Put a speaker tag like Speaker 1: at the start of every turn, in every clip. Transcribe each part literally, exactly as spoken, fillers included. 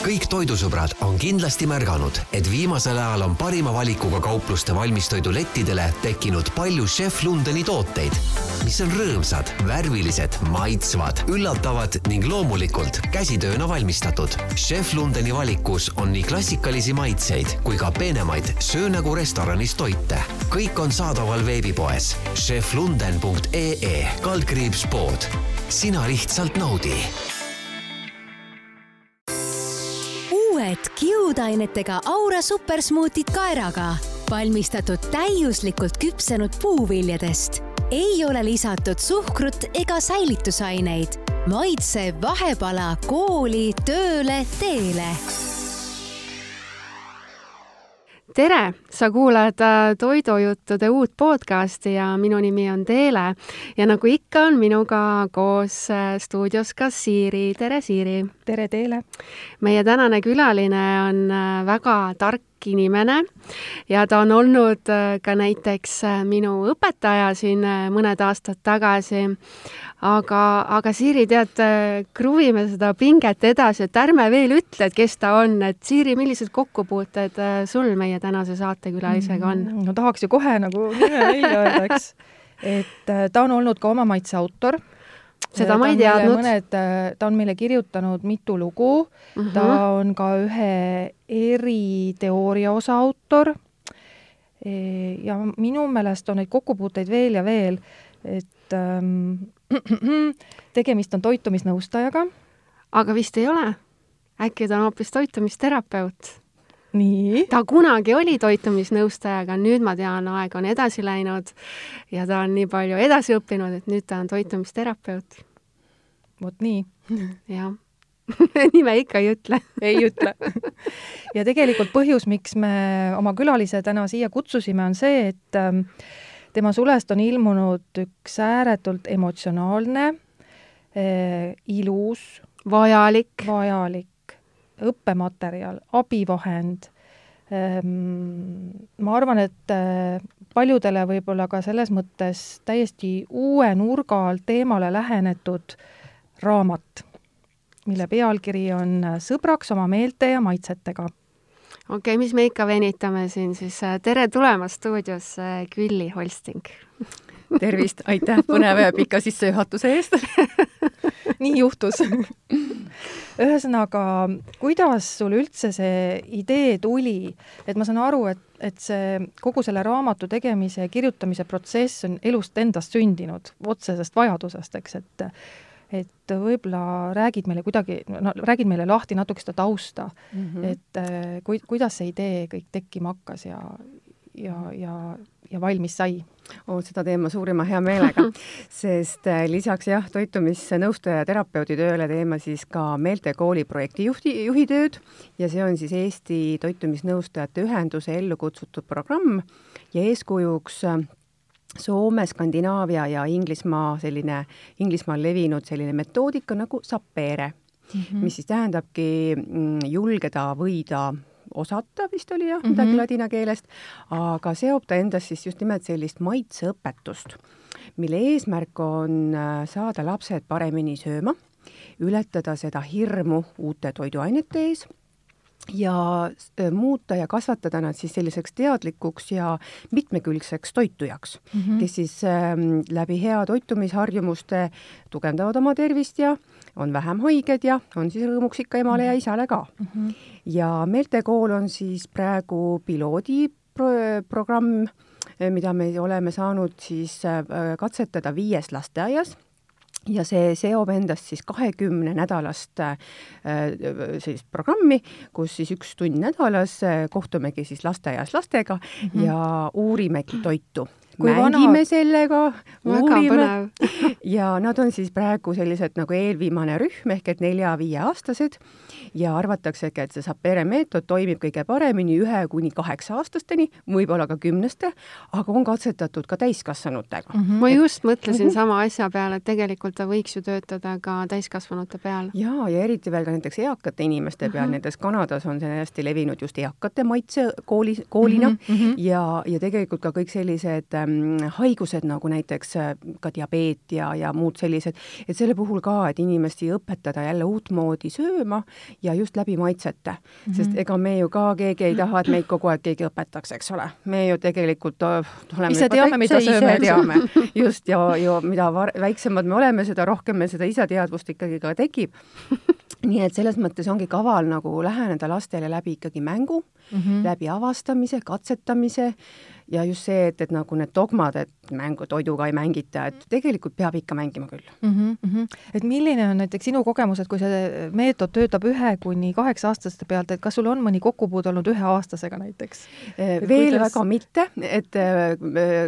Speaker 1: Kõik toidusõbrad on kindlasti märganud, et viimasel ajal on parima valikuga kaupluste valmistoidulettidele tekkinud palju Chef Lundeni tooteid, mis on rõõmsad, värvilised, maitsvad, üllatavad ning loomulikult käsitööna valmistatud. Chef Lundeni valikus on nii klassikalisi maitseid kui ka peenemaid söö nagu restoranis toite. Kõik on saadaval veebipoes chef lunden punkt e e kaldkriips pood. Sina lihtsalt naudi.
Speaker 2: Uued kiudainetega Aura supersmuutid kaeraga, valmistatud täiuslikult küpsenud puuviljadest. Ei ole lisatud suhkrut ega säilitusaineid. Maitse vahepala kooli, tööle, teele.
Speaker 3: Tere! Sa kuulad Toidujuttude uut podcasti ja minu nimi on Teele. Ja nagu ikka on minuga koos stuudios ka Siiri. Tere, Siiri!
Speaker 4: Tere, Teele!
Speaker 3: Meie tänane külaline on väga tark inimene ja ta on olnud ka näiteks minu õpetaja siin mõned aastad tagasi. Aga, aga Siiri, tead, kruvime seda pinget edasi, et ärme veel ütle, et kes ta on. Et Siiri, millised kokkupuuted sul meie tänase saatekülalisega on?
Speaker 4: No tahaks ju kohe nagu nime välja öeldaks, et ta on olnud ka oma maitse autor.
Speaker 3: Seda ma ei teadnud.
Speaker 4: Mõned, ta on meile kirjutanud mitu lugu, uh-huh. Ta on ka ühe eriteooria osa autor ja minu meelest on neid kokkupuuteid veel ja veel, et ähm, tegemist on toitumisnõustajaga.
Speaker 3: Aga vist ei ole. Äkki ta on hoopis toitumisterapeut.
Speaker 4: Nii.
Speaker 3: Ta kunagi oli toitumisnõustajaga, nüüd ma tean, aeg on edasi läinud ja ta on nii palju edasi õppinud, et nüüd ta on toitumisterapeut.
Speaker 4: Vot nii.
Speaker 3: Jah. Nime ikka ei ütle.
Speaker 4: Ei ütle. Ja tegelikult põhjus, miks me oma külalise täna siia kutsusime, on see, et tema sulest on ilmunud üks ääretult emotsionaalne, eh, ilus,
Speaker 3: vajalik,
Speaker 4: vajalik õppematerjal, abivahend. Ma arvan, et paljudele võib-olla ka selles mõttes täiesti uue nurga alt teemale lähenetud raamat, mille pealkiri on Sõbraks oma meelte ja maitsetega.
Speaker 3: Okei, okay, mis me ikka venitame siin, siis tere tulemast stuudios Külli Holsting.
Speaker 5: Tervist, aitäh põneva ja pika sissejuhatuse eest.
Speaker 4: Nii juhtus. Ühesõnaga, kuidas sul üldse see idee tuli? Et ma saan aru, et, et see, kogu selle raamatu tegemise ja kirjutamise protsess on elust endast sündinud, otsesest vajadusest, eks, et et võib-olla räägid meile kuidagi, no, räägid meile lahti natuke seda tausta, mm-hmm. et ku, kuidas see idee kõik tekkima hakkas ja, ja, ja, ja valmis sai?
Speaker 5: Oh, seda teema suurima hea meelega, sest lisaks jah, toitumisnõustaja ja terapeudi tööle teema siis ka Meeltekooli projekti juhti, juhitööd ja see on siis Eesti toitumisnõustajate ühenduse ellu kutsutud programm ja eeskujuks Soome, Skandinaavia ja Inglismaa selline, Inglismaal levinud selline metoodika nagu sapere, mm-hmm. mis siis tähendabki julgeda võida osata, vist oli jah, midagi mm-hmm. ladina keelest, aga seob ta endas siis just nimelt sellist maitseõpetust, mille eesmärk on saada lapsed paremini sööma, ületada seda hirmu uute toiduainete ees, ja muuta ja kasvatada nad siis selliseks teadlikuks ja mitmekülgseks toitujaks, mm-hmm. kes siis ähm, läbi hea toitumisharjumuste tugevdavad oma tervist ja on vähem haiged ja on siis rõõmuks ikka emale ja isale ka. Mm-hmm. Ja Meeltekool on siis praegu piloodi pro- programm, mida me oleme saanud siis äh, katsetada viies lasteaias. Ja see seob endast siis kahekümne nädalast äh, sellist programmi, kus siis üks tund nädalas äh, kohtumegi siis lasteaias lastega mm-hmm. ja uurimegi toitu. Kui mängime vana... sellega, uurime ja nad on siis praegu sellised nagu eelviimane rühm ehk et nelja-viie aastased ja arvataksegi, et see sapere meetod toimib kõige paremini ühe kuni kaheksa aastasteni, võib-olla ka kümneste, aga on katsetatud ka täiskasvanutega.
Speaker 3: Mm-hmm. Ma just mõtlesin mm-hmm. sama asja peale, et tegelikult ta võiks ju töötada ka täiskasvanute peal.
Speaker 5: Ja, ja eriti veel ka näiteks eakate inimeste peal, mm-hmm. näiteks Kanadas on see hästi levinud just eakate maitse kooli, koolina mm-hmm. ja, ja tegelikult ka kõik sellised haigused nagu näiteks ka diabeet ja, ja muud sellised, et selle puhul ka, et inimesi õpetada jälle uutmoodi sööma ja just läbi maitsete, mm -hmm. sest ega me ju ka keegi ei taha, et meid kogu aeg keegi õpetaks, eks ole. Me ju tegelikult oleme
Speaker 4: ise teame, mida sööme.
Speaker 5: Teame. Just, ja, ja mida var, väiksemad me oleme, seda rohkem me seda iseteadvust ikkagi ka tekib. Nii et selles mõttes ongi kaval nagu läheneda lastele läbi ikkagi mängu, mm -hmm. läbi avastamise, katsetamise ja just see, et, et nagu need dogmad, et mängu toiduga ei mängita, et tegelikult peab ikka mängima küll.
Speaker 4: Mm -hmm. Et milline on näiteks sinu kogemus, et kui see meetod töötab ühe kuni kaheksa aastaste pealt, et kas sul on mõni kokkupuude olnud ühe aastasega näiteks?
Speaker 5: Et veel kuidas... väga mitte, et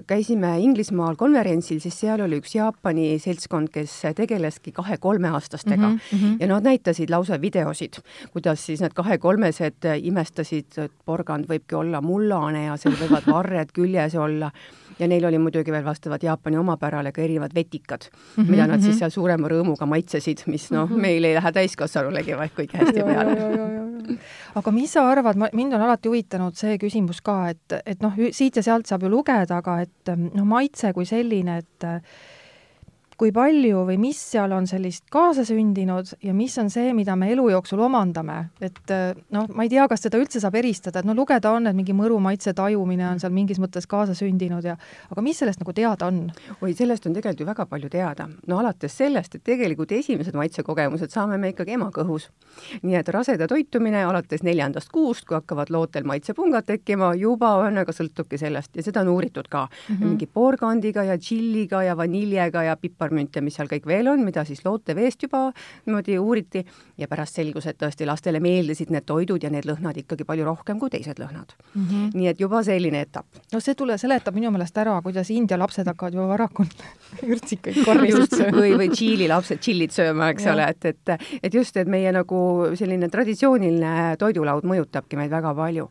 Speaker 5: käisime Inglismaal konverentsil, siis seal oli üks Jaapani seltskond, kes tegeleski kahe-kolmeaastastega mm -hmm. ja nad näitasid lausa videosid, kuidas siis need kahe-kolmesed imestasid, et porgand võibki olla mullane ja seal võivad varred küljes olla ja neil oli muidugi veel vastavad Jaapani omapärale ka erinevad vetikad, mm -hmm, mida nad siis seal suurema rõõmuga maitsesid, mis noh, meil ei lähe täiskasvanulegi vaid kuigi hästi peale.
Speaker 4: Aga mis sa arvad, mind on alati huvitanud see küsimus ka, et, et noh, siit ja sealt saab ju lugeda, aga et noh, maitse kui selline, et kui palju või mis seal on sellist kaasasündinud ja mis on see, mida me elu jooksul omandame. Et noh, ma ei tea, kas seda üldse saab eristada, et no lugeda on, et mingi mõru maitse tajumine on seal mingis mõttes kaasasündinud ja aga mis sellest nagu teada on?
Speaker 5: Oi, sellest on tegelikult ju väga palju teada. No alates sellest, et tegelikult esimesed maitsekogemused saame me ikkagi emakõhus. Nii et raseda toitumine alates neljandast kuust, kui hakkavad lootel maitsepungad tekkima, juba õnnega sõltubki sellest ja seda on uuritud ka. Mm -hmm. Mingi porgandiga ja tšilliga ja vaniljega ja pipar münte, mis seal kõik veel on, mida siis loote veest juba niimoodi uuriti ja pärast selgus, et tõesti lastele meeldisid need toidud ja need lõhnad ikkagi palju rohkem kui teised lõhnad. Mm -hmm. Nii et juba selline etapp.
Speaker 4: No see tule seletab minu meelest ära, kuidas India lapsed hakkavad juba varakult ürtsikaid korraliselt sööma.
Speaker 5: või, või tšiili lapsed tšillit sööma, eks ja. ole, et, et, et just, et meie nagu selline traditsiooniline toidulaud mõjutabki meid väga palju.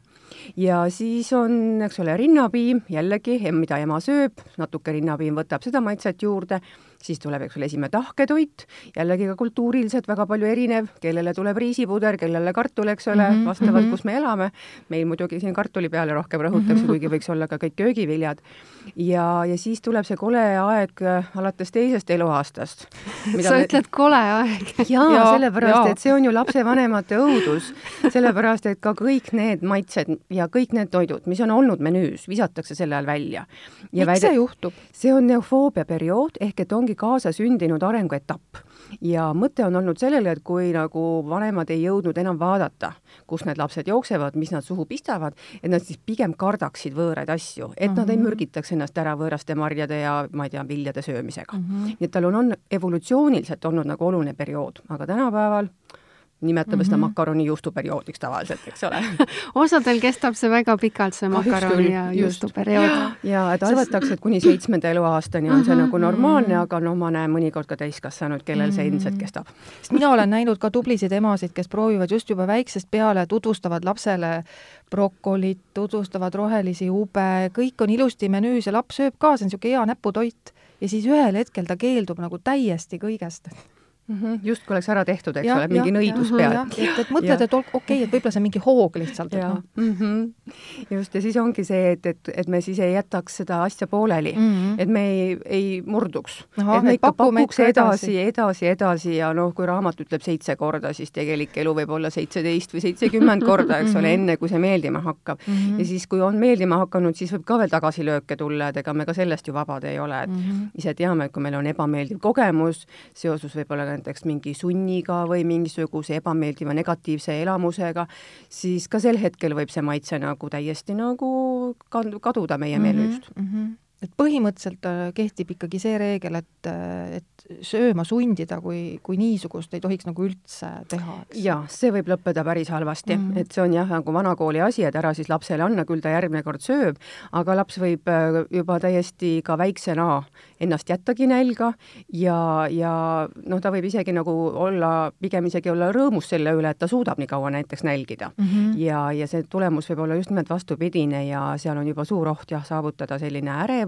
Speaker 5: Ja siis on, eks ole, rinnapiim, jällegi, mida ema sööb, natuke rinnapiim võtab seda maitset juurde, siis tuleb, eks ole, esimene tahketoit, jällegi ka kultuuriliselt väga palju erinev, kellele tuleb riisipuder, kellele kartul, eks ole, mm -hmm, vastavalt, mm -hmm. kus me elame. Meil muidugi siin kartuli peale rohkem rõhutakse, mm -hmm. kuigi võiks olla ka kõik köögiviljad. Ja, ja siis tuleb see kole aeg alates teisest eluaastast.
Speaker 3: Sa me... ütled kole aeg.
Speaker 5: Jaa, ja, sellepärast, ja. et see on ju lapsevanemate õudus. Sellepärast, et ka kõik need maitsed ja kõik need toidud, mis on olnud menüüs, visatakse selle ajal välja.
Speaker 4: Miks väide... see juhtub?
Speaker 5: See on neofoobia periood, ehk et ongi kaasasündinud arenguetapp. Ja mõte on olnud sellele, et kui nagu vanemad ei jõudnud enam vaadata, kus need lapsed jooksevad, mis nad suhu pistavad, et nad siis pigem kardaksid võõraid asju, et mm-hmm. nad ei mürgitaks ennast ära võõraste marjade ja ma ei tea, viljade söömisega. Mm-hmm. Nii et tal on, on evolutsiooniliselt olnud nagu oluline periood, aga tänapäeval nimetame mm -hmm. seda makaroni juustuperioodiks tavaliselt, eks ole.
Speaker 3: Osadel kestab see väga pikalt, see makaroni ja juustuperiood.
Speaker 5: Ja et arvatakse, et kuni seitsmenda eluaastani on see mm -hmm. nagu normaalne, aga no ma näen mõnikord ka täiskasvanud, kellel see ilmselt kestab.
Speaker 4: Sest mina olen näinud ka tublisid emasid, kes proovivad just juba väiksest peale, tutvustavad lapsele brokolit, tutvustavad rohelisi ube, kõik on ilusti menüüs ja laps sööb ka, see on niisugune hea näputoit ja siis ühel hetkel ta keeldub nagu täiesti kõigest.
Speaker 5: Mm -hmm. Just kui oleks ära tehtud, eks ja, ole, mingi ja, nõidus ja, peal.
Speaker 4: Et, et mõtled, et okei, okay, et võib-olla see mingi hoog lihtsalt.
Speaker 5: Ja. Mm -hmm. Just, ja siis ongi see, et, et, et me siis ei jätaks seda asja pooleli, mm -hmm. et me ei, ei murduks. Aha, et me ikka pakuks edasi, edasi, edasi ja noh, kui raamat ütleb seitse korda, siis tegelik elu võib olla seitseteist või seitsekümmend korda, eks ole, enne kui see meeldima hakkab. Mm -hmm. Ja siis, kui on meeldima hakanud, siis võib ka veel tagasilööke tulla, et ega me ka sellest ju vabad ei ole. Et mm -hmm. ise teame, et kui meil on ebameeldiv kogemus, seosus võib-olla näiteks mingi sunniga või mingisuguse ebameeldiva negatiivse elamusega, siis ka sel hetkel võib see maitse nagu täiesti nagu kaduda meie menüüst.
Speaker 4: Mm -hmm. Et põhimõtteliselt kehtib ikkagi see reegel, et, et sööma sundida, kui, kui niisugust ei tohiks nagu üldse teha, eks?
Speaker 5: Jaa, see võib lõppeda päris halvasti. Mm -hmm. Et see on jah, nagu vanakooli asi, et ära siis lapsele anna, küll ta järgmine kord sööb, aga laps võib juba täiesti ka väiksena ennast jättagi nälga ja, ja noh, ta võib isegi nagu olla, pigem isegi olla rõõmus selle üle, et ta suudab nii kaua näiteks nälgida. Mm -hmm. Ja, ja see tulemus võib olla just nimelt vastupidine ja seal on juba suur oht jah, saavutada selline ärev,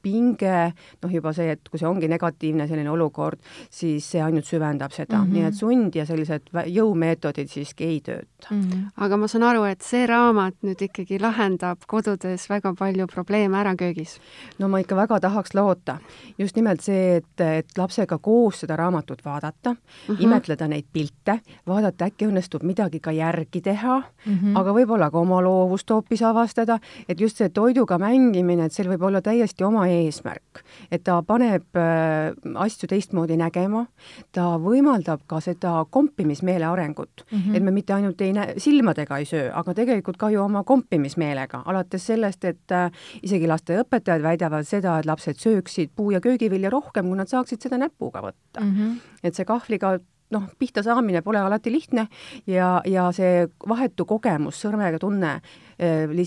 Speaker 5: pinge, noh juba see, et kui see ongi negatiivne selline selline olukord, siis see ainult süvendab seda.
Speaker 4: Mm -hmm.
Speaker 5: Nii et sund ja sellised jõumeetodid siiski ei tööta.
Speaker 3: Mm -hmm. Aga ma saan aru, et see raamat nüüd ikkagi lahendab kodudes väga palju probleeme ära köögis.
Speaker 5: No ma ikka väga tahaks loota. Just nimelt see, et, et lapsega koos seda raamatut vaadata, mm -hmm. imetleda neid pilte, vaadata, äkki õnnestub midagi ka järgi teha, mm -hmm. aga võib-olla ka oma loovust hoopis avastada, et just see toiduga mängimine, et seal võib olla täiesti oma eesmärk, et ta paneb äh, asju teistmoodi nägema, ta võimaldab ka seda kompimismeele arengut, mm -hmm. et me mitte ainult ei näe, silmadega ei söö, aga tegelikult ka ju oma kompimismeelega, alates sellest, et äh, isegi lasteõpetajad väidavad seda, et lapsed sööksid puu- ja köögivilja rohkem, kui nad saaksid seda näpuga võtta. Mm -hmm. et see kahvliga noh, pihta saamine pole alati lihtne ja, ja see vahetu kogemus, sõrmega tunne,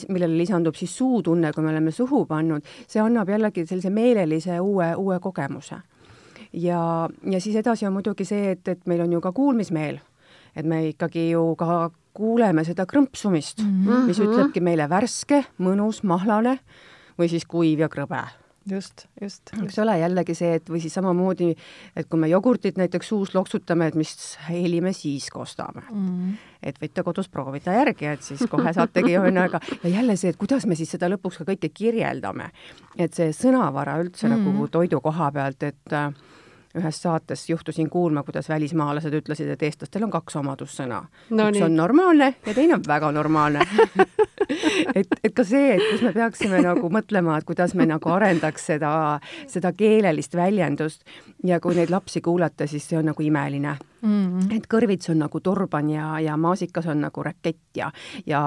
Speaker 5: millele lisandub siis suutunne, kui me oleme suhu pannud, see annab jällegi sellise meelelise uue, uue kogemuse. Ja, ja siis edasi on muidugi see, et, et meil on ju ka kuulmismeel, et me ikkagi ju ka kuuleme seda krõmpsumist, mm -hmm. mis ütlebki meile värske, mõnus, mahlane või siis kuiv ja krõbe.
Speaker 4: Just, just.
Speaker 5: Eks ole jällegi see, et või siis samamoodi, et kui me jogurtit näiteks suus loksutame, et mis heli me siis kostame. Mm. Et võite kodus proovida järgi, et siis kohe saategi ühesõnaga. Ja jälle see, et kuidas me siis seda lõpuks ka kõike kirjeldame. Et see sõnavara üldse mm. nagu toidu koha pealt, et ühes saates juhtusin kuulma, kuidas välismaalased ütlesid, et eestlastel on kaks omadussõna. No, üks nii. On normaalne ja teine on väga normaalne. et, et ka see, et kus me peaksime nagu mõtlema, et kuidas me nagu arendaks seda, seda keelelist väljendust ja kui neid lapsi kuulata, siis see on nagu imeline. Mm-hmm. Et kõrvits on nagu turban ja, ja maasikas on nagu rakett ja, ja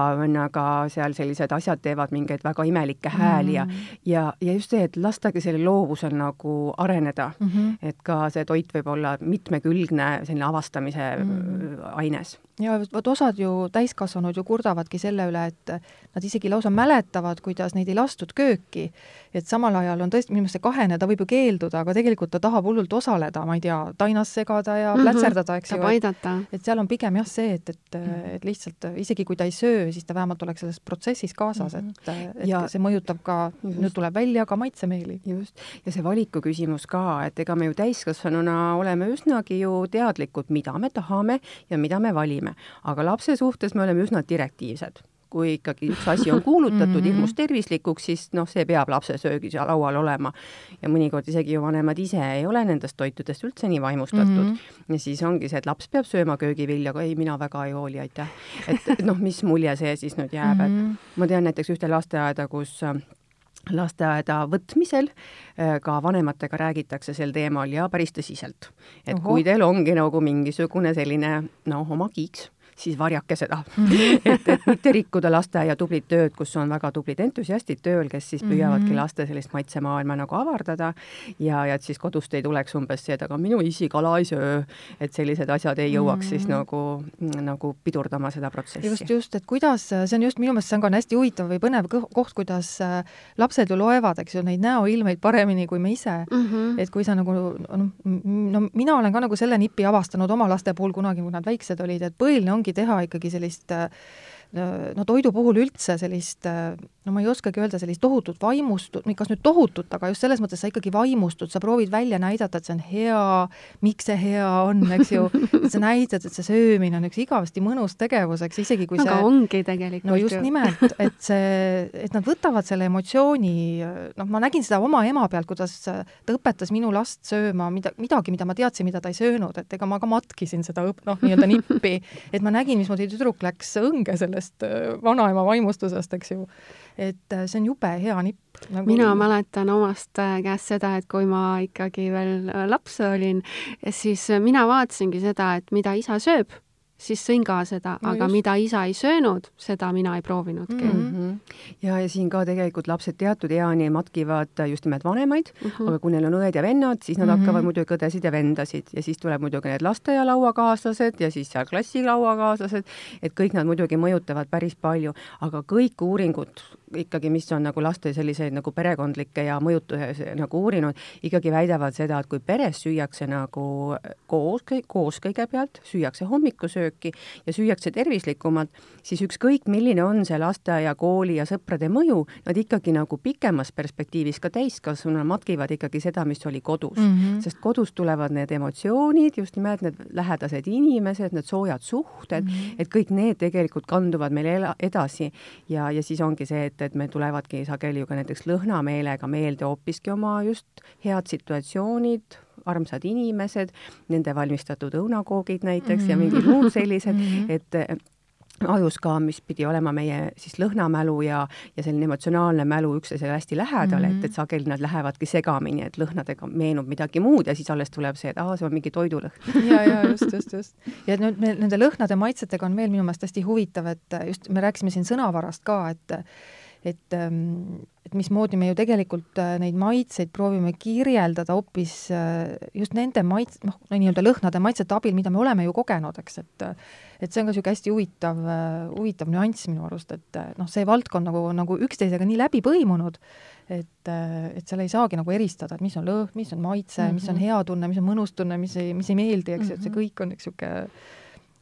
Speaker 5: aga seal sellised asjad teevad mingeid väga imelikke hääli ja, mm-hmm. ja, ja just see, et lastagi selle loovusel nagu areneda, mm-hmm. et ka see toit võib olla mitmekülgne selline avastamise mm-hmm. aines.
Speaker 4: Ja vot osad ju täiskasvanud ju kurdavadki selle üle, et nad isegi lausa mäletavad, kuidas neid ei lastud kööki. Et samal ajal on tõesti, minu see kahene, ta võib ju keelduda, aga tegelikult ta tahab hullult osaleda, ma ei tea, tainas segada ja plätserdada, eks ju. Et, et seal on pigem jah see, et, et, et lihtsalt isegi kui ta ei söö, siis ta vähemalt oleks selles protsessis kaasas, et, et ja see mõjutab ka, nüüd tuleb välja ka maitsemeeli.
Speaker 5: Just. Ja see valiku küsimus ka, et ega me ju täiskasvanuna oleme üsnagi ju teadlikud, mida me tahame ja mida me valime. Aga lapse suhtes me oleme üsna direktiivsed. Kui ikkagi üks asi on kuulutatud hirmus tervislikuks, siis noh, see peab lapse söögis ja laual olema. Ja mõnikord isegi ju vanemad ise ei ole nendest toitudest üldse nii vaimustatud. Mm-hmm. Ja siis ongi see, et laps peab sööma köögivilja, aga ei, mina väga ei hooli, aitäh. Et, et noh, mis mulje see siis nüüd jääb. Mm-hmm. Et ma tean näiteks ühte lasteaeda, kus lasteaeda võtmisel ka vanematega räägitakse sel teemal ja päris tõsiselt. Et Oho. Kui teil ongi nagu mingisugune selline, noh, oma kiiks, siis varjake seda. Mm-hmm. et, et mitte rikkuda lasteaia tublit tööd, kus on väga tublid entusiastid tööl, kes siis püüavadki mm-hmm. laste sellist maitsemaailma nagu avardada ja, ja et siis kodust ei tuleks umbes see, et aga minu isi kala ei söö, et sellised asjad ei jõuaks mm-hmm. siis nagu, nagu pidurdama seda protsessi.
Speaker 4: Just, just, et kuidas, see on just minu meelest, see on ka hästi huvitav või põnev koht, kuidas lapsed ju loevad, eks ju, neid näoilmeid paremini kui me ise. Mm-hmm. Et kui sa nagu, no, no mina olen ka nagu selle nipi avastanud oma laste puhul kunagi, kui nad väiksed olid, et põhiline ongi teha ikkagi sellist, no toidu puhul üldse sellist, no ma ei oskagi öelda, sellist tohutut vaimustut, kas nüüd tohutut, aga just selles mõttes sa ikkagi vaimustut, sa proovid välja näidata, et see on hea, miks see hea on, eks ju, et sa näitad, et see söömine on üks igavesti mõnus tegevus, eks isegi kui
Speaker 3: aga
Speaker 4: see...
Speaker 3: Aga ongi tegelikult.
Speaker 4: No just nimelt, et see, et nad võtavad selle emotsiooni, noh, ma nägin seda oma ema pealt, kuidas ta õpetas minu last sööma mida, midagi, mida ma teadsin, mida ta ei söönud, et ega ma ka matkisin seda, noh, nii-öelda nippi, et ma nägin, mismoodi tüdruk läks õnge sellest vanaema vaimustusest, eks ju. Et see on jube hea nipp.
Speaker 3: Nagu... Mina mäletan omast käest seda, et kui ma ikkagi veel laps olin, siis mina vaatasingi seda, et mida isa sööb, siis sõin ka seda, no aga just. Mida isa ei söönud, seda mina ei proovinudki.
Speaker 5: Mm-hmm. Ja, ja siin ka tegelikult lapsed teatud eani matkivad just nimelt vanemaid, mm-hmm. aga kui neil on õed ja vennad, siis nad mm-hmm. hakkavad muidugi õdesid ja vendasid ja siis tuleb muidugi need lasteaialauakaaslased ja siis seal klassilauakaaslased, et kõik nad muidugi mõjutavad päris palju, aga kõik uuringud ikkagi, mis on nagu laste selliseid nagu perekondlikke ja mõjutuse nagu uurinud, ikkagi väidavad seda, et kui peres süüakse nagu koos, koos kõigepealt, süüakse hommikusööki ja süüakse tervislikumalt, siis ükskõik, milline on see lasteaia, kooli ja sõprade mõju, nad ikkagi nagu pikemas perspektiivis ka täiskasvuna matkivad ikkagi seda, mis oli kodus. Mm -hmm. Sest kodus tulevad need emotsioonid, just nimelt need lähedased inimesed, need soojad suhted, mm -hmm. et kõik need tegelikult kanduvad meil edasi ja, ja siis ongi see, et, et meil tulevadki sageli ju ka näiteks lõhnameelega meelde hoopiski oma just head situatsioonid, armsad inimesed, nende valmistatud õunakoogid näiteks mm -hmm. ja mingid muud sellised, mm -hmm. et ajus ka, mis pidi olema meie siis lõhnamälu ja, ja selline emotsionaalne mälu üksteisele hästi lähedale, mm -hmm. et, et sageli nad lähevadki segamini, et lõhnadega meenub midagi muud ja siis alles tuleb see, et aa, see on mingi toidulõhn.
Speaker 4: ja, ja just, just, just. ja nüüd me, nende lõhnade maitsetega on veel minu meelest hästi huvitav, et just me rääkisime siin sõnavarast ka, et et, et mismoodi me ju tegelikult neid maitseid proovime kirjeldada hoopis just nende maits-, noh, nii-öelda lõhnade maitsete abil, mida me oleme ju kogenud, eks, et et see on ka niisugune hästi huvitav, huvitav nüanss minu arust, et noh, see valdkond nagu, nagu üksteisega nii läbi põimunud, et, et seal ei saagi nagu eristada, et mis on lõhn, mis on maitse mm, -hmm. mis on hea tunne, mis on mõnus tunne, mis ei, mis ei meeldi, eks, et see kõik on üks niisugune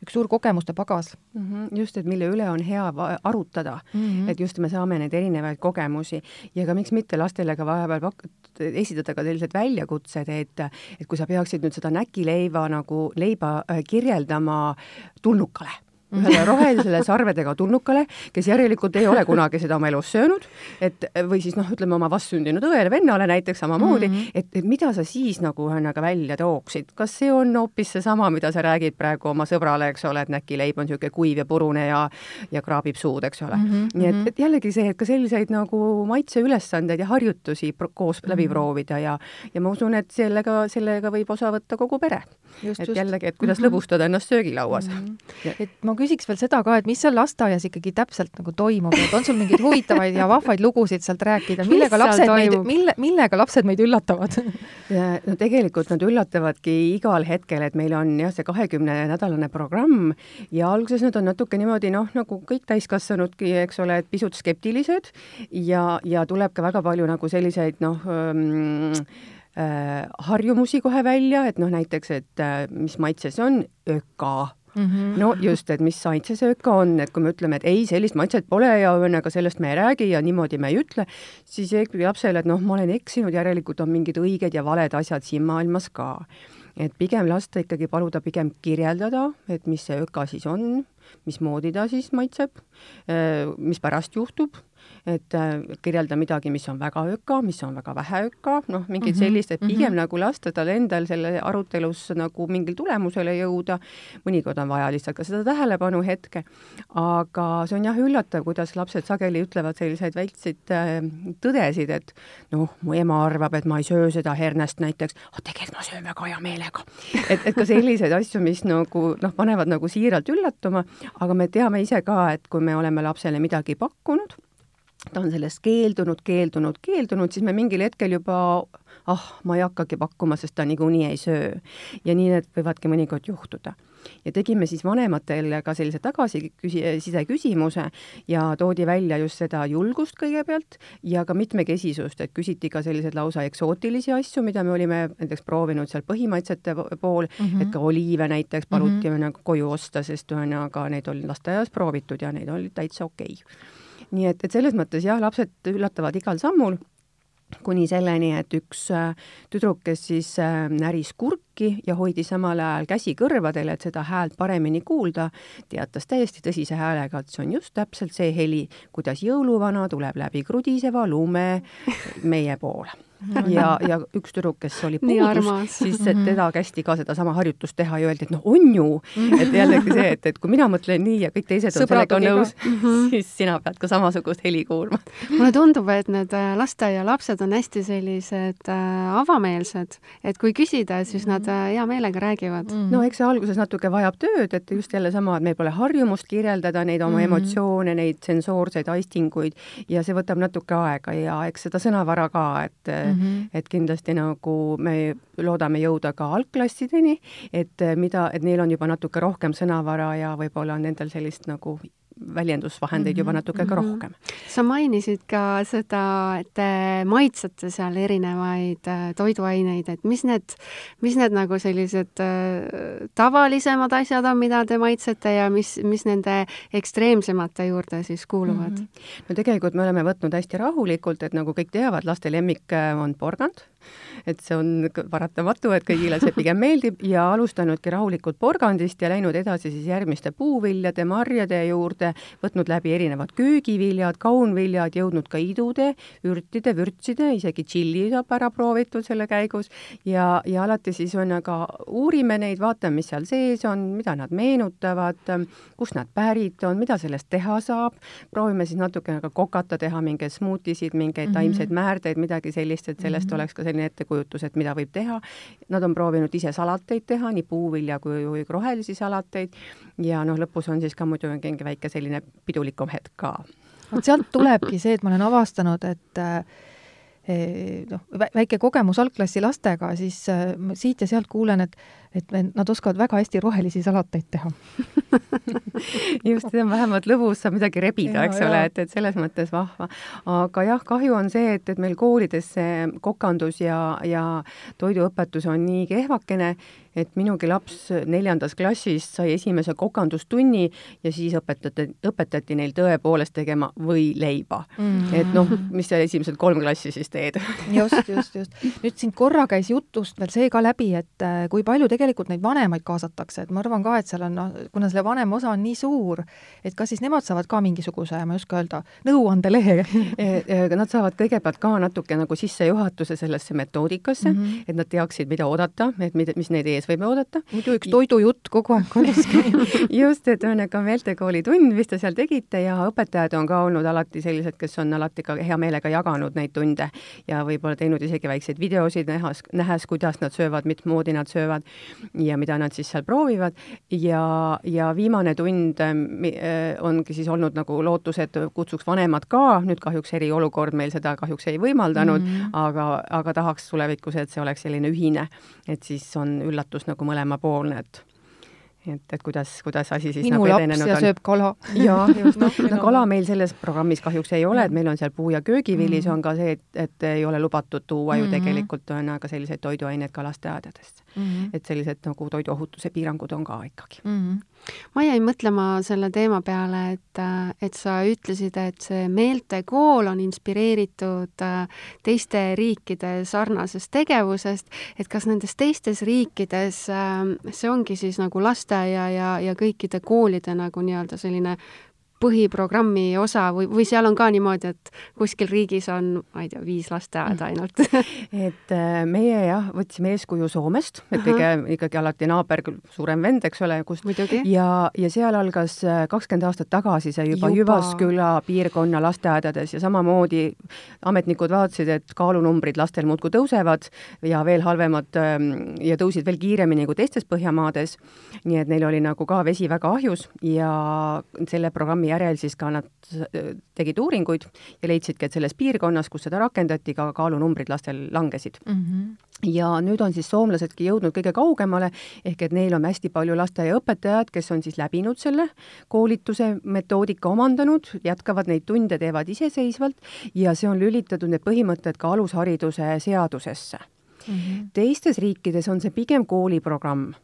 Speaker 4: üks suur kogemuste pagas.
Speaker 5: Mm -hmm. Just, et mille üle on hea arutada, mm -hmm. et just me saame neid erinevaid kogemusi ja ka miks mitte lastele ka vahepeal pak-, esitada ka sellised väljakutsed, et, et kui sa peaksid nüüd seda näkileiva nagu leiba kirjeldama tulnukale, ühele rohelisele sarvedega tulnukale, kes järelikult ei ole kunagi seda oma elus söönud, et või siis noh, ütleme oma vastsündinud õele, vennale näiteks samamoodi, mm -hmm. et, et mida sa siis nagu ühesõnaga välja tooksid? Kas see on hoopis seesama, mida sa räägid praegu oma sõbrale, eks ole, et näkileib on niisugune kuiv ja purune ja, ja kraabib suud, eks ole. Mm -hmm. Nii et, et jällegi see, et ka selliseid nagu maitseülesandeid ja harjutusi koos mm -hmm. läbi proovida ja, ja ma usun, et sellega, sellega võib osa võtta kogu pere. Just, et just. jällegi, et kuidas mm -hmm. lõbustada ennast söögilauas mm.
Speaker 4: -hmm. et ma küsiks veel seda ka, et mis seal lasteaias ikkagi täpselt nagu toimub, et on sul mingeid huvitavaid ja vahvaid lugusid sealt rääkida, millega lapsed meid, mille, millega lapsed meid üllatavad?
Speaker 5: No tegelikult nad üllatavadki igal hetkel, et meil on jah, see kahekümne nädalane programm ja alguses nad on natuke niimoodi, noh, nagu kõik täiskasvanudki, eks ole, et pisut skeptilised ja, ja tuleb ka väga palju nagu selliseid, noh, ähm, äh, harjumusi kohe välja, et noh, näiteks, et äh, mis maitse see on, öka. Mm -hmm. No just, et mis maitse see öka on, et kui me ütleme, et ei, sellist maitset pole ja õnnega sellest me ei räägi ja niimoodi me ei ütle, siis ikkagi lapsele, et noh, ma olen eksinud, järelikult on mingid õiged ja valed asjad siin maailmas ka. Et pigem lasta ikkagi paluda pigem kirjeldada, et mis see öka siis on, mismoodi ta siis maitseb, mis pärast juhtub, et kirjelda midagi, mis on väga öka, mis on väga vähe öka, noh, mingid sellist, et pigem mm -hmm. nagu lasta tal endal selle arutelus nagu mingil tulemusele jõuda, mõnikord on vaja lihtsalt ka seda tähelepanu hetke, aga see on jah üllatav, kuidas lapsed sageli ütlevad selliseid väikseid tõdesid, et noh, mu ema arvab, et ma ei söö seda hernest näiteks, aga tegelikult ma söön väga hea meelega. et, et ka selliseid asju, mis nagu noh, panevad nagu siiralt üllatuma, aga me teame ise ka, et kui me oleme lapsele midagi pakkunud, ta on sellest keeldunud, keeldunud, keeldunud, siis me mingil hetkel juba, ah, ma ei hakkagi pakkuma, sest ta niikuinii ei söö. Ja nii need võivadki mõnikord juhtuda. Ja tegime siis vanematele ka sellise tagasiside küsimuse ja toodi välja just seda julgust kõigepealt ja ka mitmekesisust, et küsiti ka sellised lausa eksootilisi asju, mida me olime näiteks proovinud seal põhimaitsete pool, mm -hmm. et ka oliive näiteks paluti mm -hmm. nagu koju osta, sest ühesõnaga neid oli lasteaias proovitud ja neid oli täitsa okei okay. Nii et, et selles mõttes jah, lapsed üllatavad igal sammul, kuni selleni, et üks tüdruk, kes siis näris kurki ja hoidis samal ajal käsi kõrvadel, et seda häält paremini kuulda, teatas täiesti tõsise häälega, et see on just täpselt see heli, kuidas jõuluvana tuleb läbi krudiseva lume meie poole. ja, ja üks tüdruk, kes oli puudus, siis teda kästi ka seda sama harjutust teha ja öeldi, et noh, on ju, et jällegi see, et, et kui mina mõtlen nii ja kõik teised on sellega nõus, siis sina pead ka samasugust heli kuulma.
Speaker 3: Mulle tundub, et need lasteaia lapsed on hästi sellised äh, avameelsed, et kui küsida, siis nad äh, hea meelega räägivad.
Speaker 5: Mm -hmm. No eks see alguses natuke vajab tööd, et just jälle sama, et meil pole harjumust kirjeldada neid oma mm -hmm. emotsioone, neid sensoorseid aistinguid ja see võtab natuke aega ja eks seda sõnavara ka, et mm -hmm. et kindlasti nagu me loodame jõuda ka algklassideni, et mida, et neil on juba natuke rohkem sõnavara ja võib-olla on nendel sellist nagu väljendusvahendeid juba natuke ka rohkem.
Speaker 3: Sa mainisid ka seda, et te maitsete seal erinevaid toiduaineid, et mis need, mis need nagu sellised tavalisemad asjad on, mida te maitsete ja mis, mis nende ekstreemsemate juurde siis kuuluvad?
Speaker 5: Mm-hmm. No tegelikult me oleme võtnud hästi rahulikult, et nagu kõik teavad, laste lemmik on porgand, et see on paratamatu, et kõigile see pigem meeldib ja alustanudki rahulikult porgandist ja läinud edasi siis järgmiste puuviljade, marjade juurde, võtnud läbi erinevad köögiviljad, kaunviljad, jõudnud ka idude, ürtide, vürtside, isegi tšilli saab ära proovitud selle käigus ja, ja alati siis on aga uurime neid, vaatame, mis seal sees on, mida nad meenutavad, kust nad pärit on, mida sellest teha saab, proovime siis natuke ka kokata, teha mingeid smuutisid, mingeid mm-hmm. taimseid määrdeid, midagi sellist, et sellest mm-hmm. oleks ka selline ettekujutus, et mida võib teha. Nad on proovinud ise salateid teha, nii puuvilja kui, kui rohelisi salateid ja noh, lõpus on siis ka muidu mingi väike selline pidulikum hetk ka.
Speaker 4: Sealt tulebki see, et ma olen avastanud, et noh, väike kogemus algklassi lastega, siis siit ja sealt kuulen, et, et nad oskavad väga hästi rohelisi salateid teha.
Speaker 5: Just, see on vähemalt lõbus, saab midagi rebida, eks ole, et, et selles mõttes vahva. Aga jah, kahju on see, et, et meil koolides see kokandus ja, ja toiduõpetus on nii kehvakene, et minugi laps neljandas klassis sai esimese kokandustunni ja siis õpetati, õpetati neil tõepoolest tegema või leiba. Mm. Et noh, mis seal esimesed kolm klassi siis teed?
Speaker 4: Just, just, just. Nüüd siin korra käis jutust veel see ka läbi, et kui palju tegelikult neid vanemaid kaasatakse, et ma arvan ka, et seal on, kuna selle vanem osa on nii suur, et kas siis nemad saavad ka mingisuguse, ma ei oska öelda, nõuandelehe?
Speaker 5: Nad saavad kõigepealt ka natuke nagu sissejuhatuse sellesse metoodikasse, mm -hmm. et nad teaksid, mida oodata, et mis neid ees võime oodata.
Speaker 4: Muidu üks toidujutt kogu aeg kodus käib.
Speaker 5: Just, et on ka meeltekooli tund, mis te seal tegite ja õpetajad on ka olnud alati sellised, kes on alati ka hea meelega jaganud neid tunde ja võib-olla teinud isegi väikseid videosid nähes, nähes, kuidas nad söövad, mitmoodi nad söövad ja mida nad siis seal proovivad. Ja, ja viimane tund ongi siis olnud nagu lootus, et kutsuks vanemad ka, nüüd kahjuks eriolukord meil seda kahjuks ei võimaldanud, mm -hmm. aga, aga tahaks tulevikus, et see oleks selline ühine, et siis on üllatus nagu mõlemapoolne, et et, et kuidas, kuidas asi siis
Speaker 4: minu
Speaker 5: nagu
Speaker 4: laps ja on. Sööb kala.
Speaker 5: Jaa, just. No, no kala meil selles programmis kahjuks ei ole, et meil on seal puu- ja köögivilis mm-hmm. on ka see, et, et ei ole lubatud tuua ju mm-hmm. tegelikult on aga selliseid toiduaineid ka lasteaedadest. Mm-hmm. Et sellised nagu toiduohutuse piirangud on ka ikkagi.
Speaker 3: Mm-hmm. Ma jäin mõtlema selle teema peale, et, et sa ütlesid, et see meeltekool on inspireeritud teiste riikide sarnasest tegevusest, et kas nendes teistes riikides see ongi siis nagu lasteaia ja, ja kõikide koolide nagu nii-öelda selline põhiprogrammi osa või, või seal on ka niimoodi, et kuskil riigis on, ma ei tea, viis lasteaeda ainult?
Speaker 5: et meie jah, võtsime eeskuju Soomest, et kõige ikkagi alati naaber, suurem vend, eks ole, kust. Ja, ja seal algas kakskümmend aastat tagasi see juba, juba Jyvaskyla piirkonna lasteaedades ja samamoodi ametnikud vaatasid, et kaalunumbrid lastel muudkui tõusevad ja veel halvemad ja tõusid veel kiiremini kui teistes Põhjamaades. Nii et neil oli nagu ka vesi väga ahjus ja selle programmi järel siis ka nad tegid uuringuid ja leidsidki, et selles piirkonnas, kus seda rakendati, ka kaalunumbrid lastel langesid. Mm-hmm. Ja nüüd on siis soomlasedki jõudnud kõige kaugemale, ehk et neil on hästi palju lasteaiaõpetajad, kes on siis läbinud selle koolituse metoodika omandanud, jätkavad neid tunde, teevad iseseisvalt ja see on lülitatud need põhimõtted ka alushariduse seadusesse. Mm-hmm. Teistes riikides on see pigem kooliprogramm.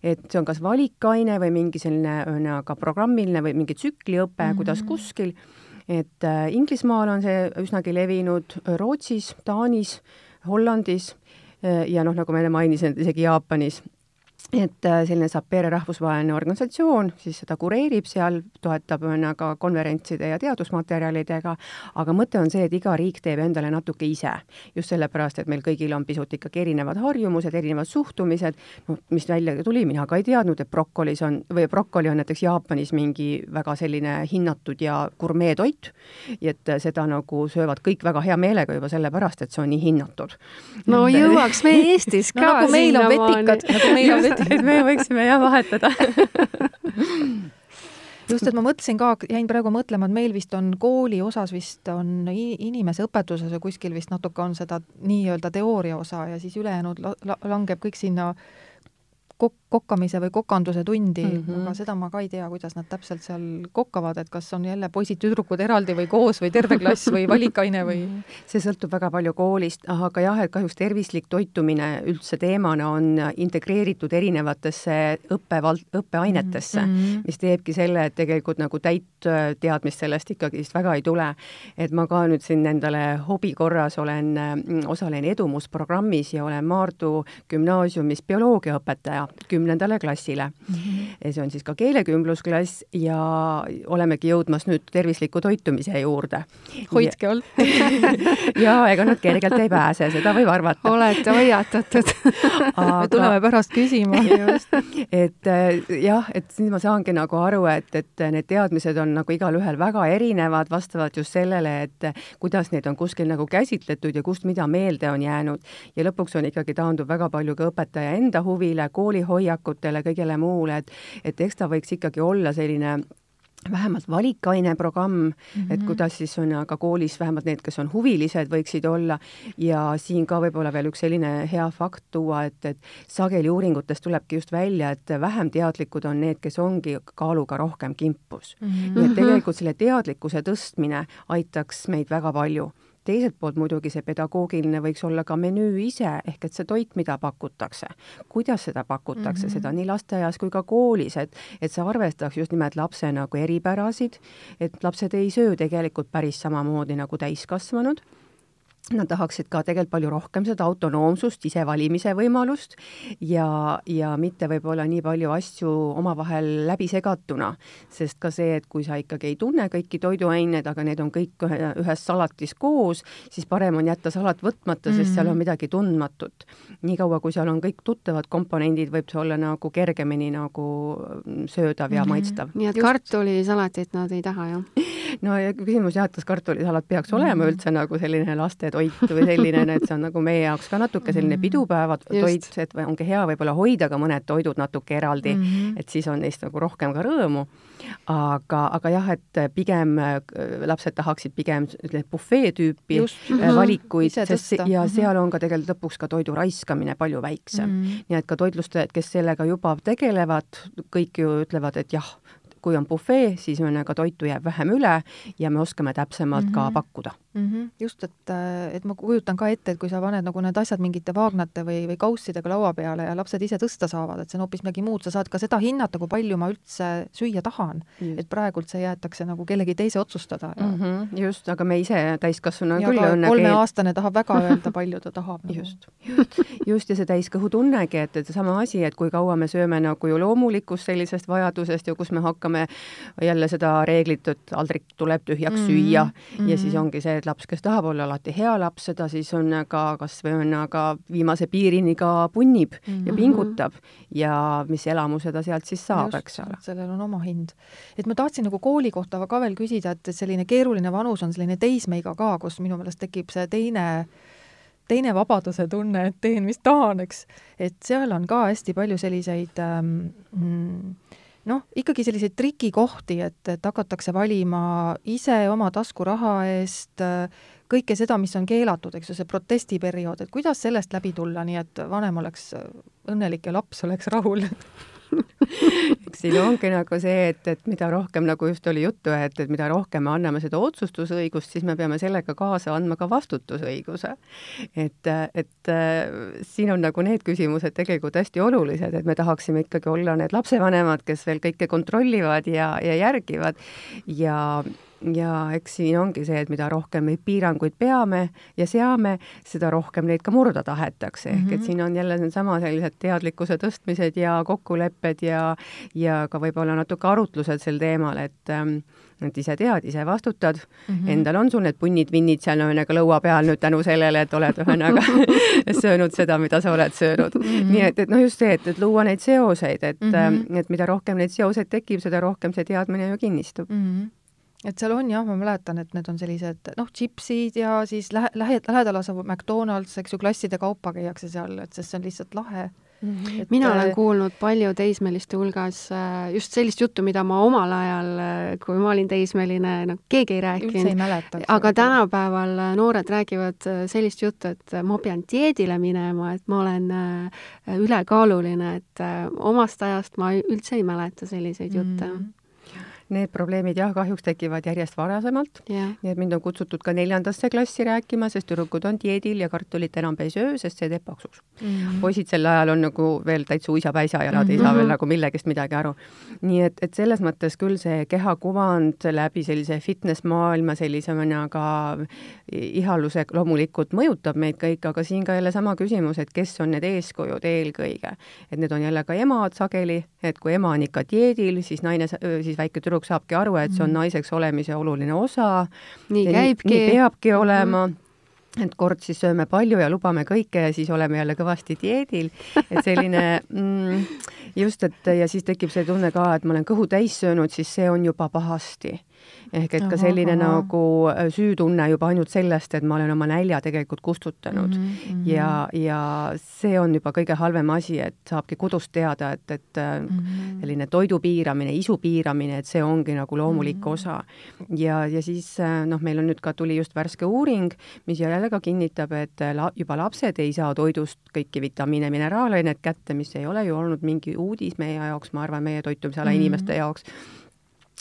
Speaker 5: Et see on kas valikaine või mingi selline ka programmiline või mingi tsükliõpe, mm-hmm. kuidas kuskil. Et äh, Inglismaal on see üsnagi levinud, Rootsis, Taanis, Hollandis äh, ja noh, nagu me mainisin, isegi Jaapanis. Et selline Sapere rahvusvaheline organisatsioon siis seda kureerib seal, toetab ka konverentside ja teadusmaterjalidega, aga mõte on see, et iga riik teeb endale natuke ise. Just sellepärast, et meil kõigil on pisut ikkagi erinevad harjumused, erinevad suhtumised, no, mis välja tuli, mina ka ei teadnud, et brokkolis on, või brokkoli on näiteks Jaapanis mingi väga selline hinnatud ja gurmeetoit, et seda nagu söövad kõik väga hea meelega juba sellepärast, et see on nii hinnatud.
Speaker 3: No jõuaks me Eestis ka.
Speaker 4: No, nagu meil on vetikad, nagu meil on vetikad.
Speaker 5: Et me võiksime jah vahetada.
Speaker 4: Just, et ma mõtlesin ka, jäin praegu mõtlema, et meil vist on kooli osas vist on inimese õpetuses ja kuskil vist natuke on seda nii-öelda teooria osa ja siis ülejäänud langeb kõik sinna kok kokkamise või kokanduse tundi mm, -hmm. aga seda ma ka ei tea, kuidas nad täpselt seal kokkavad, et kas on jälle poisid-tüdrukud eraldi või koos või terve klass või valikaine või?
Speaker 5: See sõltub väga palju koolist, aga jah, et kahjuks tervislik toitumine üldse teemana on integreeritud erinevatesse õppevald, õppeainetesse, mm -hmm. mis teebki selle, et tegelikult nagu täit teadmist sellest ikkagi väga ei tule. Et ma ka nüüd siin endale hobi korras olen, osalen edumusprogrammis ja olen Maardu gümnaasiumis bioloogiaõpetaja kümnendale klassile. Mm -hmm. See on siis ka keelekümblusklass ja olemegi jõudmas nüüd tervisliku toitumise juurde.
Speaker 4: Hoidke all.
Speaker 5: ja ega nad kergelt ei pääse, seda võib arvata.
Speaker 3: Olete hoiatatud.
Speaker 4: Aga... me tuleme pärast küsima.
Speaker 5: Just, et jah, et siis ma saangi nagu aru, et, et need teadmised on nagu igal ühel väga erinevad, vastavalt just sellele, et kuidas neid on kuskil nagu käsitletud ja kust mida meelde on jäänud. Ja lõpuks on ikkagi taandub väga palju ka õpetaja enda huvile, koolihoiakutele, kõigele muule, et, et eks ta võiks ikkagi olla selline vähemalt valikaine programm, mm -hmm. et kuidas siis on aga koolis vähemalt need, kes on huvilised, võiksid olla ja siin ka võib-olla veel üks selline hea fakt tuua, et, et sageli uuringutest tulebki just välja, et vähem teadlikud on need, kes ongi kaaluga rohkem kimpus. Mm -hmm. Nii et tegelikult selle teadlikkuse tõstmine aitaks meid väga palju. Teiselt poolt muidugi see pedagoogiline võiks olla ka menüü ise, ehk et see toit, mida pakutakse, kuidas seda pakutakse, mm -hmm. seda nii lasteaias kui ka koolis, et, et see arvestaks just nimelt lapse nagu eripärasid, et lapsed ei söö tegelikult päris samamoodi nagu täiskasvanud. Nad tahaksid ka tegelikult palju rohkem seda autonoomsust, ise valimise võimalust ja, ja mitte võib-olla nii palju asju omavahel läbi segatuna, sest ka see, et kui sa ikkagi ei tunne kõiki toiduained, aga need on kõik ühes salatis koos, siis parem on jätta salat võtmata, sest mm-hmm. seal on midagi tundmatut. Niikaua, kui seal on kõik tuttavad komponendid, võib see olla nagu kergemini nagu söödav ja mm-hmm. maitstav.
Speaker 3: Nii et kartulisalatit nad ei taha, jah?
Speaker 5: No ja küsimus jah, et kas kartulisalat peaks olema mm-hmm. üldse nagu selline laste toit või selline, et see on nagu meie jaoks ka natuke selline pidupäeva toit, et ongi hea võib-olla hoida ka mõned toidud natuke eraldi, mm -hmm. et siis on neist nagu rohkem ka rõõmu. Aga, aga jah, et pigem lapsed tahaksid pigem bufee tüüpi Just. valikuid, sest ja seal on ka tegelikult lõpuks ka toidu raiskamine palju väiksem. Mm -hmm. Nii et ka toitlustajad, kes sellega juba tegelevad, kõik ju ütlevad, et jah, kui on bufee, siis on ka toitu jääb vähem üle ja me oskame täpsemalt mm -hmm. ka pakkuda.
Speaker 4: Mm -hmm. Just, et, et ma kujutan ka ette, et kui sa paned nagu need asjad mingite vaagnate või, või kaussidega laua peale ja lapsed ise tõsta saavad, et see on hoopis midagi muud, sa saad ka seda hinnata, kui palju ma üldse süüa tahan. Just. Et praegult see jäetakse nagu kellegi teise otsustada. Ja...
Speaker 5: Mm -hmm. Just, aga me ise täiskasvanu
Speaker 4: ja
Speaker 5: küll õnnegi...
Speaker 4: kolmeaastane tahab väga öelda, palju ta tahab. Nagu.
Speaker 5: Just. Just. Just, ja see täiskõhu tunnegi, et, et sama asi, et kui kaua me sööme nagu ju loomulikust sellisest vajadusest ja kus me hakkame jälle seda reeglit, et aldrik tuleb tühjaks mm -hmm. süüa mm -hmm. ja siis ongi see, et laps, kes tahab olla alati hea laps, seda siis on ka, kas või on aga viimase piirini ka punnib mm -hmm. ja pingutab ja mis elamuse ta sealt siis saab, eks ole.
Speaker 4: Sellel on oma hind. Et ma tahtsin nagu kooli kohta ka veel küsida, et selline keeruline vanus on selline teismeiga ka, kus minu meelest tekib see teine teine vabaduse tunne, et teen, mis tahan, eks. Et seal on ka hästi palju selliseid ähm, noh, ikkagi selliseid trikikohti, et, et hakatakse valima ise oma taskuraha eest kõike seda, mis on keelatud, eks ju, see protestiperiood, et kuidas sellest läbi tulla, nii et vanem oleks õnnelik ja laps oleks rahul?
Speaker 5: Eks siin ongi nagu see, et, et mida rohkem, nagu just oli juttu, et, et mida rohkem me anname seda otsustusõigust, siis me peame sellega kaasa andma ka vastutusõiguse. Et, et siin on nagu need küsimused tegelikult hästi olulised, et me tahaksime ikkagi olla need lapsevanemad, kes veel kõike kontrollivad ja, ja järgivad ja ja eks siin ongi see, et mida rohkem neid piiranguid peame ja seame, seda rohkem neid ka murda tahetakse. Mm -hmm. Ehk et siin on jälle sama sellised teadlikkuse tõstmised ja kokkulepped ja, ja ka võib-olla natuke arutlused sel teemal, et, et ise tead, ise vastutad. Mm -hmm. Endal on sul need punnid-vinnid seal ühesõnaga lõua peal nüüd tänu sellele, et oled ühesõnaga söönud seda, mida sa oled söönud. Mm -hmm. Nii et, et noh, just see, et, et luua neid seoseid, et, mm -hmm. et mida rohkem neid seoseid tekib, seda rohkem see teadmine ju kinnistub.
Speaker 4: Mm -hmm. Et seal on jah, ma mäletan, et need on sellised noh, chipsid ja siis lähe, lähe, lähedal asuv McDonald's, eks ju, klasside kaupa käiakse seal, et sest see on lihtsalt lahe.
Speaker 3: Mm-hmm. Mina olen kuulnud palju teismeliste hulgas just sellist juttu, mida ma omal ajal, kui ma olin teismeline, no keegi ei rääkinud. Aga tänapäeval noored räägivad sellist juttu, et ma pean dieedile minema, et ma olen ülekaaluline, et omast ajast ma üldse ei mäleta selliseid jutte. Mm-hmm.
Speaker 5: Need probleemid jah, kahjuks tekivad järjest varasemalt. Yeah. Nii et mind on kutsutud ka neljandasse klassi rääkima, sest tüdrukud on dieedil ja kartulit enam ei söö, sest see teeb paksuks. Mm-hmm. Poisid sel ajal on nagu veel täitsa uisapäisa ja nad mm-hmm. ei saa veel nagu millegist midagi aru. Nii et, et selles mõttes küll see kehakuvand läbi sellise fitness-maailma sellise mõnaga ihaluse loomulikult mõjutab meid kõik, aga siin ka jälle sama küsimus, et kes on need eeskujud eelkõige. Et need on jälle ka emad sageli, et kui ema on ikka dieedil, siis naine, siis väike tüdruk saabki aru, et see on naiseks olemise oluline osa.
Speaker 3: Nii käibki.
Speaker 5: Nii peabki olema. Et kord siis sööme palju ja lubame kõike ja siis oleme jälle kõvasti dieedil. Et selline, mm, just, et ja siis tekib see tunne ka, et ma olen kõhu täis söönud, siis see on juba pahasti. Ehk et ka selline aha, aha. nagu süütunne juba ainult sellest, et ma olen oma nälja tegelikult kustutanud. Mm-hmm. Ja, ja see on juba kõige halvem asi, et saabki kodust teada, et, et mm-hmm. selline toidu piiramine, isu piiramine, et see ongi nagu loomulik mm-hmm. osa. Ja, ja siis noh, meil on nüüd ka tuli just värske uuring, mis jälle ka kinnitab, et la, juba lapsed ei saa toidust kõiki vitamiine, mineraalainet kätte, mis ei ole ju olnud mingi uudis meie jaoks, ma arvan, meie toitumisala mm-hmm. inimeste jaoks.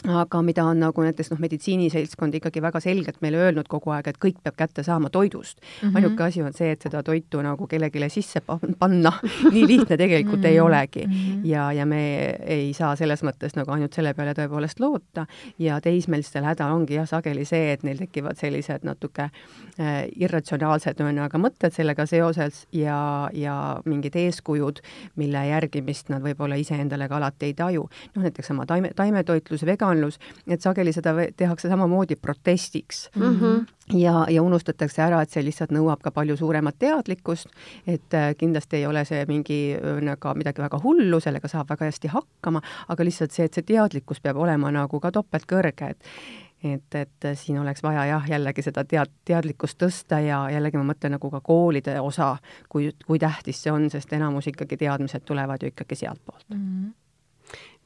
Speaker 5: Aga mida on nagu näiteks noh, meditsiiniseltskond ikkagi väga selgelt meile öelnud kogu aeg, et kõik peab kätte saama toidust. Mm-hmm. Ainuke asi on see, et seda toitu nagu kellegile sisse panna. Nii lihtne tegelikult mm-hmm. ei olegi. Mm-hmm. Ja, ja me ei saa selles mõttes nagu ainult selle peale tõepoolest loota. Ja teismelistel häda ongi jah sageli see, et neil tekivad sellised natuke äh, irratsionaalsed aga mõtted sellega seoses ja, ja mingid eeskujud, mille järgimist nad võib-olla ise endale ka alati ei taju. Noh, näiteks sama taime, taimetoitlus, vegan et sageli seda tehakse samamoodi protestiks mm-hmm. ja, ja unustatakse ära, et see lihtsalt nõuab ka palju suuremat teadlikkust, et kindlasti ei ole see mingi nagu midagi väga hullu, sellega saab väga hästi hakkama, aga lihtsalt see, et see teadlikkus peab olema nagu ka topelt kõrge, et et, et siin oleks vaja jah, jällegi seda tead, teadlikkust tõsta ja jällegi ma mõtlen nagu ka koolide osa, kui, kui tähtis see on, sest enamus ikkagi teadmised tulevad ju ikkagi sealt poolt.
Speaker 3: Mm-hmm.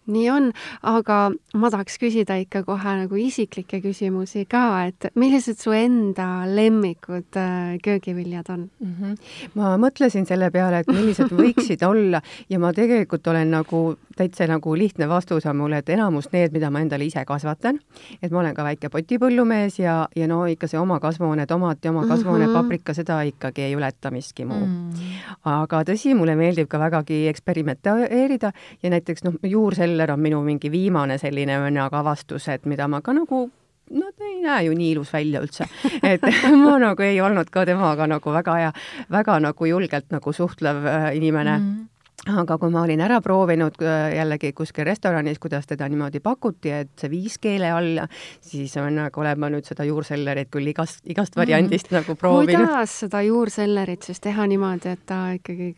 Speaker 3: Nii on, aga ma tahaks küsida ikka kohe nagu isiklikke küsimusi ka, et millised su enda lemmikud köögiviljad on?
Speaker 5: Mm-hmm. Ma mõtlesin selle peale, et millised võiksid olla ja ma tegelikult olen nagu täitsa nagu lihtne vastus on mulle, et enamus need, mida ma endale ise kasvatan, et ma olen ka väike potipõllumees ja, ja no ikka see oma kasvuhoone tomat ja oma kasvuhoone mm-hmm. paprika, seda ikkagi ei ületa miski muu. Mm-hmm. Aga tõsi, mulle meeldib ka vägagi eksperimenteerida ja näiteks noh, juurseller on minu mingi viimane selline avastus, et mida ma ka nagu no ta ei näe ju nii ilus välja üldse, et ma nagu ei olnud ka temaga nagu väga ja väga nagu julgelt nagu suhtlev inimene. Mm-hmm. Aga kui ma olin ära proovinud jällegi kuskil restoranis, kuidas teda niimoodi pakuti, et see viis keele alla, siis on nagu olen ma nüüd seda juursellerit küll igast, igast variandist mm. nagu proovinud.
Speaker 3: Kuidas seda juursellerit siis teha niimoodi, et ta ikkagi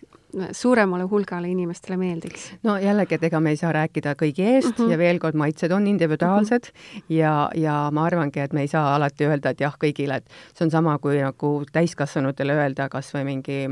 Speaker 3: suuremale hulgale inimestele meeldiks?
Speaker 5: No jällegi, et ega me ei saa rääkida kõigi eest uh-huh. ja veel kord maitsed on individuaalsed uh-huh. ja, ja ma arvangi, et me ei saa alati öelda, et jah kõigile, et see on sama kui nagu täiskasvanutele öelda kas või mingi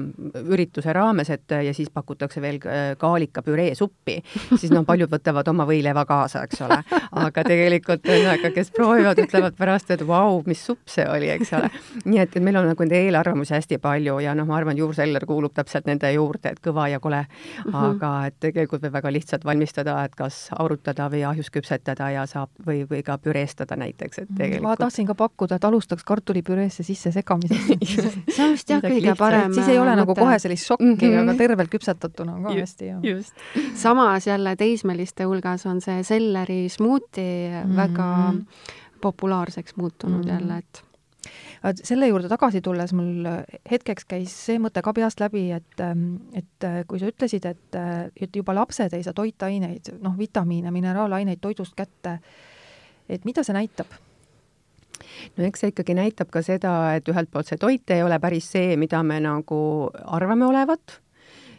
Speaker 5: ürituse raames, et ja siis pakutakse veel kaalika püree suppi, siis noh, paljud võtavad oma võileiva kaasa, eks ole. Aga tegelikult aga, kes proovivad, ütlevad pärast, et vau, mis supp see oli, eks ole. Nii et, et meil on nagu nende eelarvamusi hästi palju ja noh, ma arvan, juurseller kuulub täpselt nende juurde, et kõva ja kole, uh-huh. aga et tegelikult võib väga lihtsalt valmistada, et kas aurutada või ahjus küpsetada ja saab või, või ka püreestada näiteks, et tegelikult.
Speaker 4: Ma tahtsin ka pakkuda, et alustaks kartulipüreesse sisse segamisest.
Speaker 3: see on vist jah kõige parem.
Speaker 4: Siis ei ole nagu kohe sellist šokki, mm-hmm. aga tervelt küpsetatuna on ka
Speaker 3: just,
Speaker 4: hästi.
Speaker 3: Just. Samas jälle teismeliste hulgas on see selleri smuuti mm-hmm. väga populaarseks muutunud mm-hmm. jälle, et
Speaker 4: selle juurde tagasi tulles mul hetkeks käis see mõte ka peast läbi, et, et kui sa ütlesid, et, et juba lapsed ei saa toitaineid, noh, vitamiine, mineraalaineid toidust kätte, et mida see näitab?
Speaker 5: No eks see ikkagi näitab ka seda, et ühelt poolt see toit ei ole päris see, mida me nagu arvame olevat,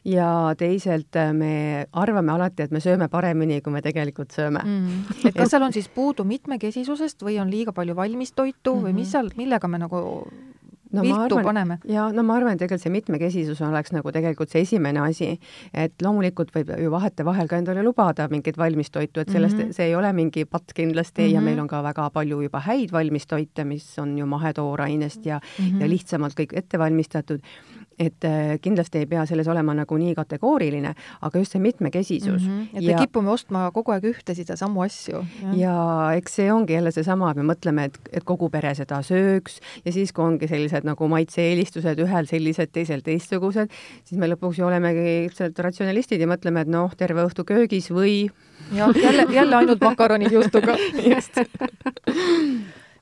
Speaker 5: ja teiselt me arvame alati, et me sööme paremini, kui me tegelikult sööme.
Speaker 4: Mm. Et kas seal on siis puudu mitmekesisusest või on liiga palju valmistoitu mm-hmm. või mis seal, millega me nagu no, viltu arvan, paneme.
Speaker 5: Ja no ma arvan, et tegelikult see mitmekesisus oleks nagu tegelikult see esimene asi, et loomulikult võib ju vahete vahel ka endale lubada mingit valmistoitu, et sellest mm -hmm. see ei ole mingi patt kindlasti mm -hmm. ja meil on ka väga palju juba häid valmistoite, mis on ju mahetoorainest ja, mm -hmm. ja lihtsamalt kõik ette valmistatud. Et kindlasti ei pea selles olema nagu nii kategooriline, aga just see mitmekesisus.
Speaker 4: Mm -hmm. Et ja, me kipume ostma kogu aeg ühte seda samu asju.
Speaker 5: Ja, ja eks see ongi jälle seesama, et me mõtleme, et, et kogu pere seda sööks ja siis, kui ongi sellised nagu maitse-eelistused, ühel sellised, teisel teistsugused, siis me lõpuks ju olemegi ratsionalistid ja mõtleme, et noh, terve õhtu köögis või...
Speaker 4: Ja jälle, jälle ainult makaronid juustuga. Just.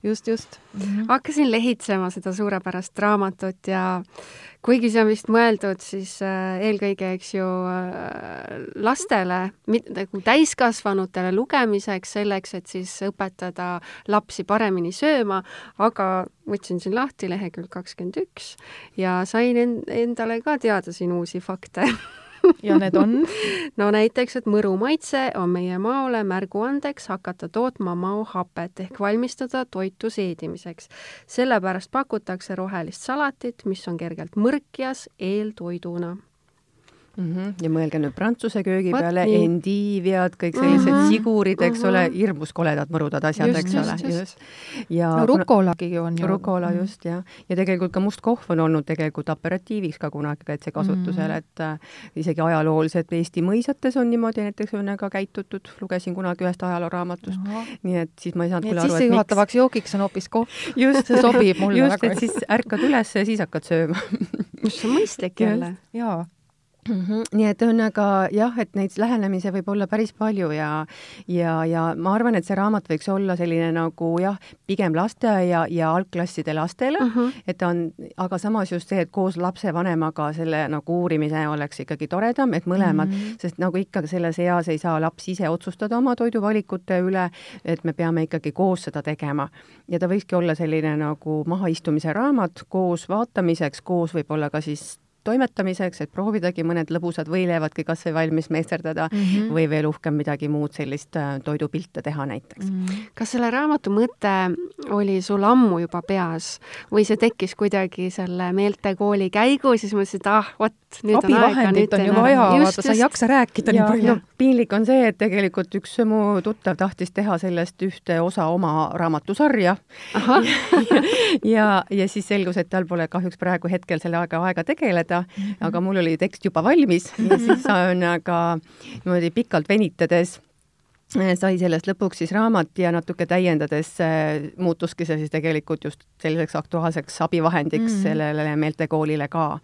Speaker 4: Just, just.
Speaker 3: Mm-hmm. Hakkasin lehitsema seda suurepärast raamatut ja kuigi see on vist mõeldud siis äh, eelkõige, eks ju, äh, lastele, nagu täiskasvanutele lugemiseks, selleks, et siis õpetada lapsi paremini sööma, aga võtsin siin lahti lehekülg kakskümmend üks ja sain en- endale ka teada siin uusi fakte.
Speaker 4: Ja need on?
Speaker 3: No näiteks, et mõru maitse on meie maole märguandeks hakata tootma maohapet ehk valmistada toitu seedimiseks. Sellepärast pakutakse rohelist salatit, mis on kergelt mõrkjas eeltoiduna.
Speaker 5: Mm-hmm. Ja mõelge nüüd prantsuse köögi Võt peale, nii. endiiviad, kõik sellised mm-hmm. sigurid, eks mm-hmm. ole, hirmus koledad mõrudad asjad,
Speaker 3: just,
Speaker 5: eks
Speaker 3: just,
Speaker 5: ole.
Speaker 3: Just.
Speaker 5: Just. Ja
Speaker 4: no rukolagi on ju.
Speaker 5: Rukola mm-hmm. just, jah. Ja tegelikult ka must kohv on olnud tegelikult aperatiiviks ka kunagi kaitsekasutusel, mm-hmm. et äh, isegi ajalooliselt Eesti mõisates on niimoodi näiteks õnnega käitutud. Lugesin kunagi ühest ajalooraamatust. Nii et siis ma ei saanud
Speaker 4: küll aru, et miks. Juhatavaks joogiks on hoopis kohv. Just, see sobib mulle
Speaker 5: just,
Speaker 4: väga.
Speaker 5: Just, et siis ärkad üles ja siis hakkad sööma.
Speaker 3: Mis on mõistlik jälle.
Speaker 4: Jaa.
Speaker 5: Mm-hmm. Nii et õnnega jah, et neid lähenemise võib olla päris palju ja, ja, ja ma arvan, et see raamat võiks olla selline nagu jah, pigem lasteaia ja, ja algklasside lastele, mm-hmm. et on, aga samas just see, et koos lapsevanemaga selle nagu uurimise oleks ikkagi toredam, et mõlemad, mm-hmm. sest nagu ikkagi selles eas ei saa laps ise otsustada oma toiduvalikute üle, et me peame ikkagi koos seda tegema. Ja ta võikski olla selline nagu mahaistumise raamat koos vaatamiseks, koos võib-olla ka siis toimetamiseks, et proovidagi mõned lõbusad võileevadki kas või valmis meisterdada mm-hmm. või veel uhkem midagi muud sellist toidupilte teha näiteks. Mm-hmm.
Speaker 3: Kas selle raamatu mõte oli sul ammu juba peas või see tekkis kuidagi selle meeltekooli käigu, siis mõtlesin, et ah, vot, nüüd on aega.
Speaker 4: Abivahendit on ju vaja, vaata, sa ei jaksa rääkida
Speaker 5: ja,
Speaker 4: nii palju.
Speaker 5: No, piinlik on see, et tegelikult üks mu tuttav tahtis teha sellest ühte osa oma raamatusarja. ja, ja, ja siis selgus, et tal pole kahjuks praegu hetkel selle aega aega tegeleda. Mm-hmm. Aga mul oli tekst juba valmis ja siis on aga niimoodi pikalt venitades sai sellest lõpuks siis raamat ja natuke täiendades muutuski see siis tegelikult just selliseks aktuaalseks abivahendiks mm-hmm. sellele meeltekoolile ka.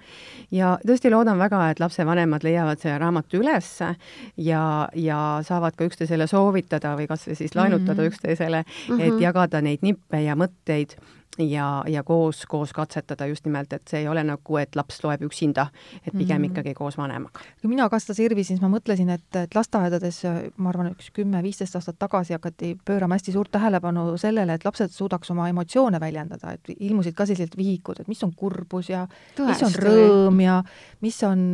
Speaker 5: Ja tõesti loodan väga, et lapsevanemad leiavad selle raamatu üles ja, ja saavad ka üksteisele soovitada või kas või siis lainutada mm-hmm. üksteisele, et mm-hmm. jagada neid nippe ja mõtteid ja, ja koos, koos katsetada just nimelt, et see ei ole nagu, et laps loeb üksinda, et pigem mm. ikkagi koos vanemaga.
Speaker 4: Kui mina kastas Irvi, siis ma mõtlesin, et, et lasteaedades, ma arvan, üks kümme viisteist aastat tagasi hakati pöörama hästi suurt tähelepanu sellele, et lapsed suudaks oma emotsioone väljendada, et ilmusid ka sellised vihikud, et mis on kurbus ja Tõesti. Mis on rõõm ja mis on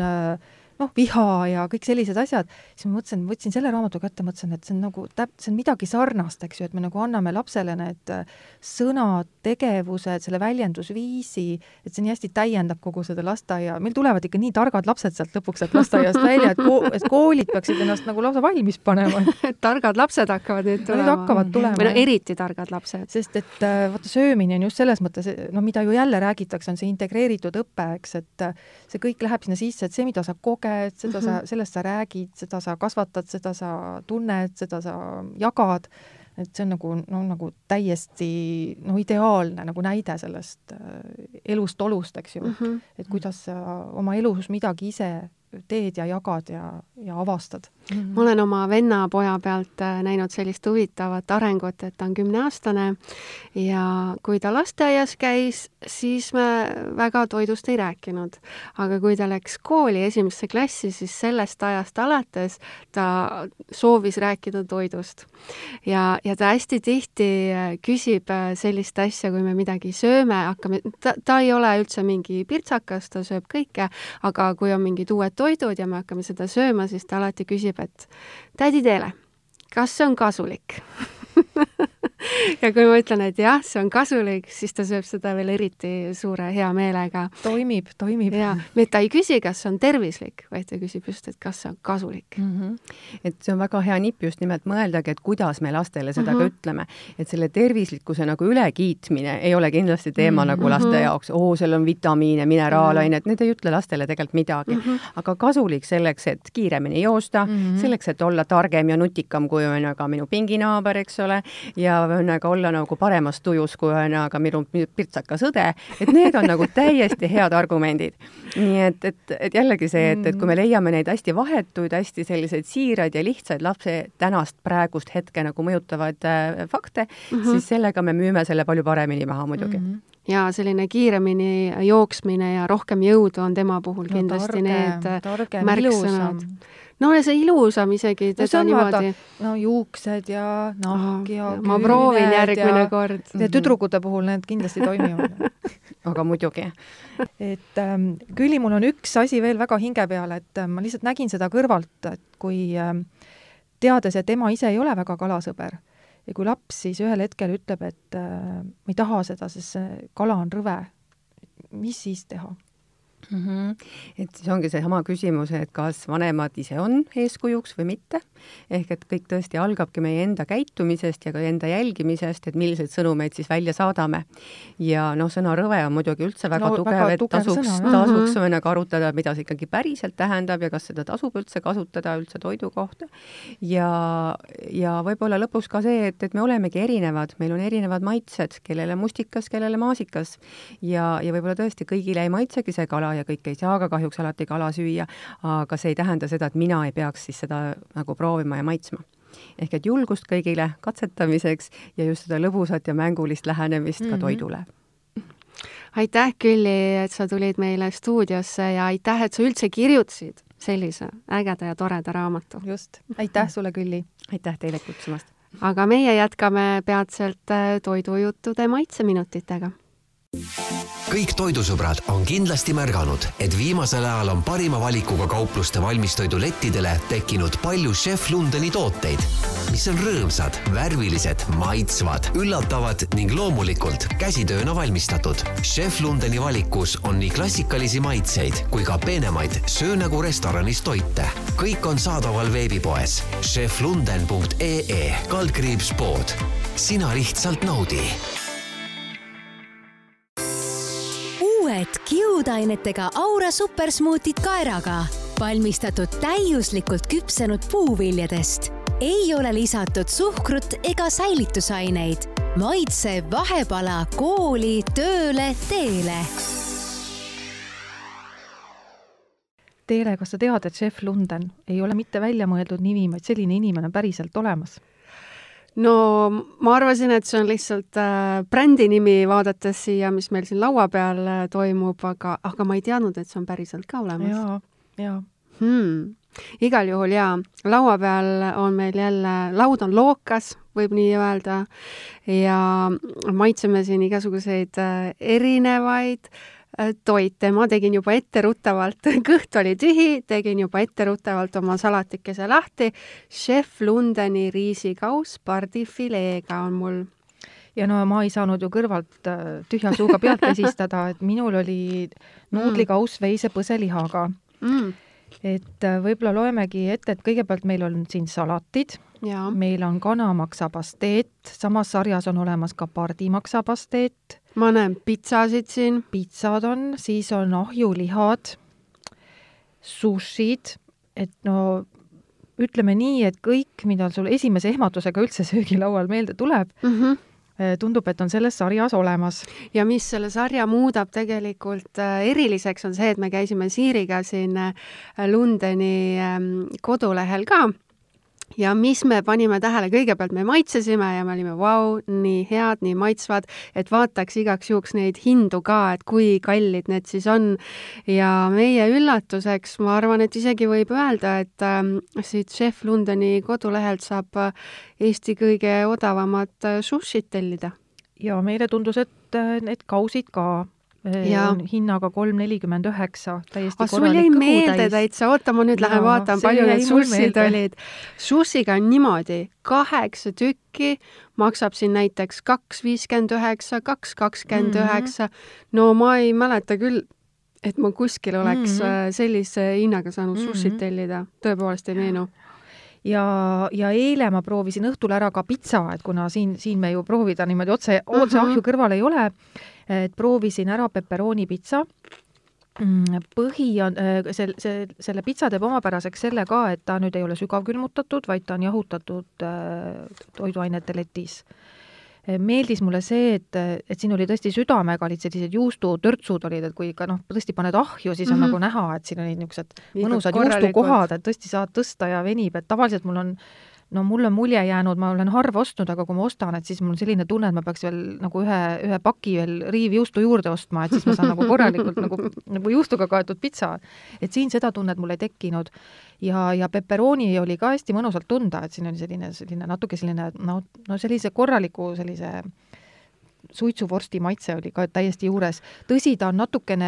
Speaker 4: noh, viha ja kõik sellised asjad, siis ma mõtlesin, võtsin selle raamatu kätte, mõtlesin, et see on nagu täp-, see on midagi sarnast, eks ju, et me nagu anname lapsele need sõnad, tegevused, selle väljendusviisi, et see nii hästi täiendab kogu seda lasteaia. Meil tulevad ikka nii targad lapsed sealt lõpuks sealt lasteaiast välja, et, ko- et koolid peaksid ennast nagu lausa valmis panema.
Speaker 3: Targad lapsed hakkavad nüüd tulema.
Speaker 4: Need hakkavad tulema.
Speaker 3: Või no eriti targad lapsed.
Speaker 4: Sest et vaata, söömine on just selles mõttes, no mida ju jälle räägitakse, on see integreeritud õpe, eks, et see kõik läheb sinna sisse, et see, mida sa koged, seda sa, sellest sa räägid, seda sa kasvatad, seda sa tunned, seda sa jagad, et see on nagu, no, nagu täiesti no, ideaalne nagu näide sellest elust olust, eks ju, mm-hmm. et kuidas sa oma elus midagi ise teed ja jagad ja, ja avastad.
Speaker 3: Mm-hmm. Ma olen oma venna poja pealt näinud sellist huvitavat arengut, et ta on kümneaastane ja kui ta lasteaias käis, siis me väga toidust ei rääkinud. Aga kui ta läks kooli esimesse klassi, siis sellest ajast alates ta soovis rääkida toidust. Ja, ja ta hästi tihti küsib sellist asja, kui me midagi sööme, hakkame, ta, ta ei ole üldse mingi pirtsakas, ta sööb kõike, aga kui on mingid uued toidud ja me hakkame seda sööma, siis ta alati küsib, et tädi Teele, kas see on kasulik? ja kui ma ütlen, et jah, see on kasulik, siis ta sööb seda veel eriti suure hea meelega.
Speaker 4: Toimib, toimib.
Speaker 3: Ja, et ta ei küsi, kas see on tervislik, vaid ta küsib just, et kas see on kasulik.
Speaker 5: Mm -hmm. Et see on väga hea nipp just nimelt mõeldagi, et kuidas me lastele seda mm -hmm. ka ütleme. Et selle tervislikkuse nagu ülekiitmine ei ole kindlasti teema mm -hmm. nagu laste jaoks. Oo, seal on vitamiine, mineraalainet, mm -hmm. need ei ütle lastele tegelikult midagi. Mm -hmm. Aga kasulik selleks, et kiiremini joosta, mm -hmm. selleks, et olla targem ja nutikam, kui on aga minu pinginaaber, eks ole, ja on aga olla nagu paremas tujus, kui on aga minu pirtsakas õde, et need on nagu täiesti head argumendid. Nii et, et, et jällegi see, et, et kui me leiame neid hästi vahetuid, hästi selliseid siiraid ja lihtsaid lapse tänast praegust hetke nagu mõjutavad äh, fakte, mm -hmm. siis sellega me müüme selle palju paremini maha muidugi. Mm -hmm.
Speaker 3: Ja selline kiiremini jooksmine ja rohkem jõudu on tema puhul kindlasti no, targem, need märksõnad. No ja see ilusam isegi teda no, niimoodi.
Speaker 4: No juuksed ja nahk ja oh,
Speaker 3: ma proovin järgmine ja, kord.
Speaker 4: Ja tüdrukute puhul need kindlasti toimivad.
Speaker 5: Aga muidugi.
Speaker 4: Et ähm, Külli, mul on üks asi veel väga hinge peal, et äh, ma lihtsalt nägin seda kõrvalt, et kui äh, teades, et ema ise ei ole väga kalasõber ja kui laps siis ühel hetkel ütleb, et äh, ma ei taha seda, sest see kala on rõve, mis siis teha?
Speaker 5: Mm -hmm. Et siis ongi see sama küsimus, et kas vanemad ise on eeskujuks või mitte. Ehk et kõik tõesti algabki meie enda käitumisest ja ka enda jälgimisest, et milliseid sõnumeid siis välja saadame. Ja noh, sõna rõve on muidugi üldse väga no, tugev, väga et tugev tasuks, sõna, tasuks mm -hmm. arutada, mida see ikkagi päriselt tähendab ja kas seda tasub üldse kasutada üldse toidu kohta. Ja, ja võib-olla lõpuks ka see, et, et me olemegi erinevad, meil on erinevad maitsed, kellele mustikas, kellele maasikas. Ja, ja võib-olla tõesti kõigile ei maitsegi see kala ja kõik ei saa ka kahjuks alati kala süüa, aga see ei tähenda seda, et mina ei peaks siis seda nagu proovima ja maitsma. Ehk et julgust kõigile katsetamiseks ja just seda lõbusat ja mängulist lähenemist mm -hmm. ka toidule.
Speaker 3: Aitäh, Külli, et sa tulid meile stuudiosse ja aitäh, et sa üldse kirjutasid sellise ägeda ja toreda raamatu.
Speaker 4: Just. Aitäh sulle, Külli.
Speaker 5: Aitäh teile kutsumast.
Speaker 3: Aga meie jätkame peatselt toidujuttude maitseminutitega.
Speaker 1: Kõik toidusõbrad on kindlasti märganud, et viimasel ajal on parima valikuga kaupluste valmistoidulettidele tekkinud palju Chef Lundeni tooteid, mis on rõõmsad, värvilised, maitsvad, üllatavad ning loomulikult käsitööna valmistatud. Chef Lundeni valikus on nii klassikalisi maitseid kui ka peenemaid söö nagu restoranis toite. Kõik on saadaval veebipoes chef lunden punkt ee e kaldkriips pood. Sina lihtsalt naudi.
Speaker 2: Uued kiudainetega Aura supersmuutid kaeraga, valmistatud täiuslikult küpsenud puuviljadest. Ei ole lisatud suhkrut ega säilitusaineid. Maitse vahepala kooli, tööle, teele.
Speaker 4: Teele, kas sa tead, et Chef Lunden ei ole mitte välja mõeldud nimi, vaid selline inimene päriselt olemas?
Speaker 3: No ma arvasin, et see on lihtsalt äh, brändi nimi vaadates siia, mis meil siin laua peal äh, toimub, aga, aga ma ei teadnud, et see on päriselt ka olemas.
Speaker 4: Jaa, jaa.
Speaker 3: Hmm. Igal juhul jaa, laua peal on meil jälle, laud on lookas, võib nii öelda, ja maitseme siin igasuguseid äh, erinevaid toite. Ma tegin juba etteruttavalt, kõht oli tühi, tegin juba etteruttavalt oma salatikese lahti. Chef Lundeni riisikaus pardifileega on mul.
Speaker 4: Ja no ma ei saanud ju kõrvalt tühja suuga pealt käsistada, et minul oli nuudlikaus veise põselihaga. Mm. Et võib-olla loemegi ette, et kõigepealt meil on siin salatid, ja. Meil on kanamaksapasteet, samas sarjas on olemas ka pardimaksapasteet.
Speaker 3: Ma näen pitsasid siin.
Speaker 4: Pitsad on, siis on ahjulihad, sushid, et no ütleme nii, et kõik, mida sul esimese ehmatusega üldse söögilaual meelde tuleb, mm-hmm. tundub, et on selles sarjas olemas.
Speaker 3: Ja mis selle sarja muudab tegelikult eriliseks on see, et me käisime Siiriga siin Lundeni kodulehel ka. Ja mis me panime tähele, kõigepealt me maitsesime ja me olime, vau, nii head, nii maitsvad, et vaataks igaks juhuks neid hindu ka, et kui kallid need siis on. Ja meie üllatuseks, ma arvan, et isegi võib öelda, et äh, siit Chef Lundeni kodulehelt saab Eesti kõige odavamat sushit tellida.
Speaker 4: Ja meile tundus, et need kausid ka Ja. On hinnaga kolm nelikümmend üheksa, täiesti
Speaker 3: korralik kõhu täis. Sul jäi meelde täitsa, oota ma nüüd lähen vaatan, palju need sussid olid. Sussiga on niimoodi, kaheksa tükki maksab siin näiteks kaks viiskümmend üheksa, kaks kakskümmend üheksa. No ma ei mäleta küll, et ma kuskil oleks mm-hmm. sellise hinnaga saanud mm-hmm. sussid tellida. Tõepoolest ei meenu.
Speaker 4: Ja, ja eile ma proovisin õhtul ära ka pitsa, et kuna siin, siin me ju proovida niimoodi otse, otse ahju kõrval ei ole, et proovisin ära pepperoni pitsa. Põhi on, see, see, selle pitsa teeb omapäraseks selle ka, et ta nüüd ei ole sügavkülmutatud, vaid ta on jahutatud toiduainete letis. Meeldis mulle see, et, et siin oli tõesti südamega, olid sellised juustutörtsud olid, et kui ka noh, tõesti paned ahju, siis on mm-hmm. nagu näha, et siin olid niisugused mõnusad juustukohad, et tõesti saad tõsta ja venib, et tavaliselt mul on no mul on mulje jäänud, ma olen harva ostnud, aga kui ma ostan, et siis mul on selline tunne, et ma peaks veel nagu ühe, ühe paki veel riivjuustu juurde ostma, et siis ma saan nagu korralikult nagu, nagu juustuga kaetud pitsa. Et siin seda tunnet mul ei tekkinud. Ja, ja pepperoni oli ka hästi mõnusalt tunda, et siin oli selline, selline natuke selline, no, no sellise korraliku sellise suitsuvorsti maitse oli ka täiesti juures. Tõsi, ta on natukene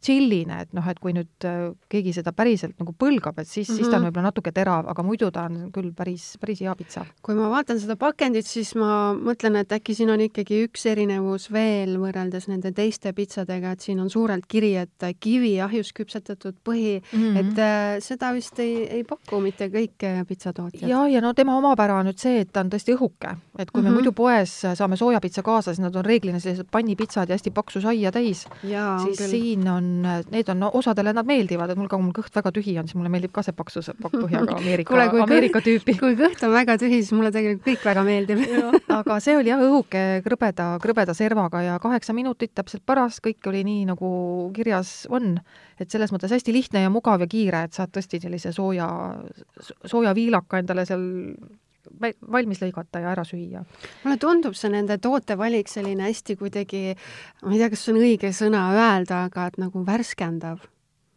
Speaker 4: chilline, et noh, et kui nüüd keegi seda päriselt nagu põlgab, et siis, mm-hmm. siis ta on võib-olla natuke terav, aga muidu ta on küll päris, päris hea pitsa.
Speaker 3: Kui ma vaatan seda pakendit, siis ma mõtlen, et äkki siin on ikkagi üks erinevus veel võrreldes nende teiste pitsadega, et siin on suurelt kiri, et kivi ahjus küpsetatud põhi, mm-hmm. et äh, seda vist ei, ei paku mitte kõik pitsatootjad.
Speaker 4: Ja, ja no tema omapära on nüüd see, et ta on tõesti õhuke, et kui mm-hmm. me muidu poes saame soojapitsa kaasa, siis nad on reeglina sellised pannipitsad ja hästi paksu saia täis,
Speaker 3: Jaa,
Speaker 4: siis
Speaker 3: küll.
Speaker 4: Siin on, need on, no, osadele nad meeldivad, et mul ka mul kõht väga tühi on, siis mulle meeldib ka see paksu pakkpõhjaga Ameerika, Kule, kui Ameerika
Speaker 3: kõht,
Speaker 4: tüüpi.
Speaker 3: Kui kõht on väga tühi, siis mulle tegelikult kõik väga meeldib.
Speaker 4: Aga see oli jah õhuke krõbeda, krõbeda servaga ja kaheksa minutit täpselt paras, kõik oli nii nagu kirjas on, et selles mõttes hästi lihtne ja mugav ja kiire, et saad tõesti sellise sooja, sooja viilaka endale seal valmis lõigata ja ära süüa.
Speaker 3: Mulle tundub see nende tootevalik selline hästi kuidagi, ma ei tea, kas see on õige sõna öelda, aga et nagu värskendav.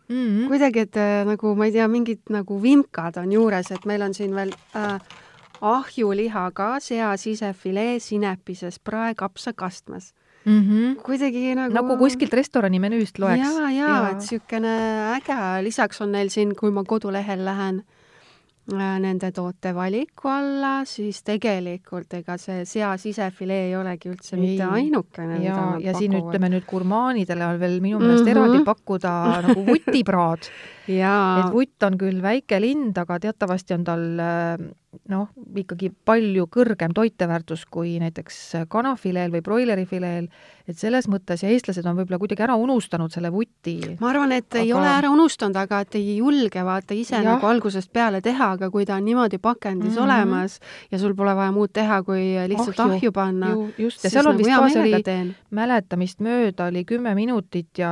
Speaker 3: Mm-hmm. Kuidagi, et nagu, ma ei tea, mingid nagu vimkad on juures, et meil on siin veel äh, ahjuliha ka, sea sisefilee, sinepises, prae, kapsa, kastmas. Mm-hmm. Kuidagi nagu... Nagu
Speaker 4: kuskilt restorani menüüst loeks.
Speaker 3: Jaa, jaa, ja. Et sükene äge. Lisaks on neil siin, kui ma kodulehel lähen, nende toote valiku alla, siis tegelikult ega see sea sisefilee ei olegi üldse ei. Mitte ainukene.
Speaker 4: Ja, ja siin ütleme nüüd gurmaanidele on veel minu meelest mm-hmm. eraldi pakkuda nagu vutipraad. Et vutt on küll väike lind, aga teatavasti on tal noh, ikkagi palju kõrgem toiteväärtus kui näiteks kanafileel või broilerifileel, et selles mõttes ja eestlased on võib-olla kuidagi ära unustanud selle vuti.
Speaker 3: Ma arvan, et aga... ei ole ära unustanud, aga et ei julge vaata ise ja. Nagu algusest peale teha, aga kui ta on niimoodi pakendis mm-hmm. olemas ja sul pole vaja muud teha, kui lihtsalt ahju, ahju panna.
Speaker 4: Ju, just, ja seal on nagu vist ka see oli teen. Mäletamist mööda oli kümme minutit ja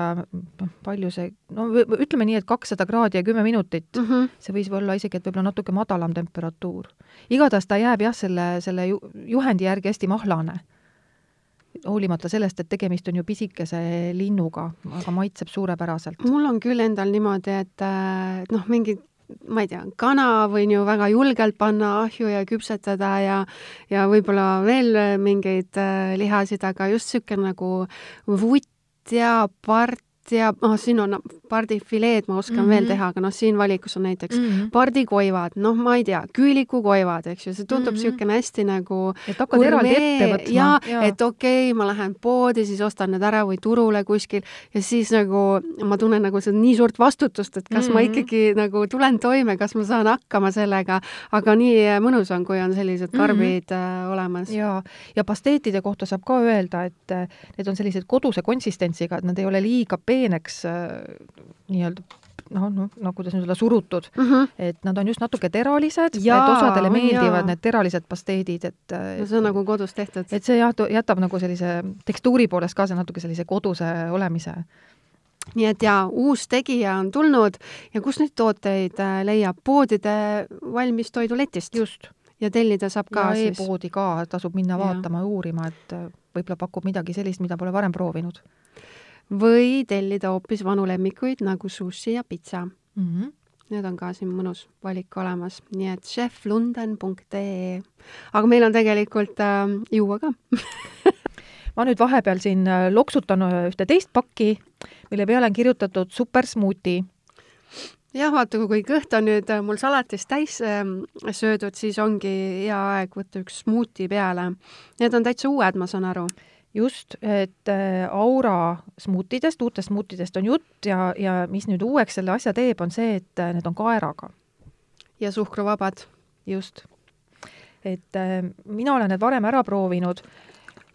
Speaker 4: palju see, no ütleme nii, et kakssada kraadi ja kümme minutit. Mm-hmm. See võis olla isegi, et võib-olla natuke madalam temperatuur. Igatahes ta jääb jah selle, selle juhendi järgi hästi mahlane. Hoolimata sellest, et tegemist on ju pisikese linnuga, aga maitseb suurepäraselt.
Speaker 3: Mul on küll endal niimoodi, et noh, mingid, ma ei tea, kana võin ju väga julgelt panna ahju ja küpsetada ja, ja võib-olla veel mingeid lihasid, aga just süke nagu vutt ja part ja oh, siin on pardifileed, ma oskan mm-hmm. veel teha, aga noh, siin valikus on näiteks mm-hmm. pardikoivad, noh, ma ei tea, küülikukoivad, eks ju, see tundub mm-hmm. süükene hästi nagu
Speaker 4: et hakkad eraldi ette võtma.
Speaker 3: Ja, ja. Et okei, okay, ma lähen poodi, siis ostan need ära või turule kuskil ja siis nagu ma tunnen nagu see nii suurt vastutust, et kas mm-hmm. ma ikkagi nagu tulen toime, kas ma saan hakkama sellega, aga nii mõnus on, kui on sellised karbid mm-hmm. olemas.
Speaker 4: Ja, ja pasteetide kohta saab ka öelda, et need on sellised koduse konsistentsiga, et nad ei ole liiga peeneks nii-öelda, noh, no, no kuidas nüüd olla surutud, uh-huh. et nad on just natuke teralised, jaa, et osadele meeldivad jaa. Need teralised pasteedid, et
Speaker 3: no see on nagu kodus tehtud.
Speaker 4: Et see jätab nagu sellise tekstuuri poolest ka see natuke sellise koduse olemise.
Speaker 3: Nii et jaa, uus tegija on tulnud ja kus neid tooteid leiab? Poodide valmis toiduletist.
Speaker 4: Just.
Speaker 3: Ja tellida saab ka
Speaker 4: ja siis. E-poodi ka, tasub minna vaatama ja uurima, et võib-olla pakub midagi sellist, mida pole varem proovinud.
Speaker 3: Või tellida hoopis vanu lemmikuid nagu sushi ja pitsa. Mm-hmm. Need on ka siin mõnus valik olemas. Nii et chef lunden punkt ee. Aga meil on tegelikult äh, juua ka.
Speaker 4: ma nüüd vahepeal siin loksutan ühte teist pakki, mille peale on kirjutatud super smuuti.
Speaker 3: jah, vaata, kui kõht on nüüd mul salatis täis söödud, siis ongi hea aeg võtta üks smuuti peale. Need on täitsa uued, ma saan aru.
Speaker 4: Just, et Aura smuutidest, uutest smuutidest on jutt ja, ja mis nüüd uueks selle asja teeb, on see, et need on kaeraga.
Speaker 3: Ja suhkruvabad.
Speaker 4: Just. Et mina olen need varem ära proovinud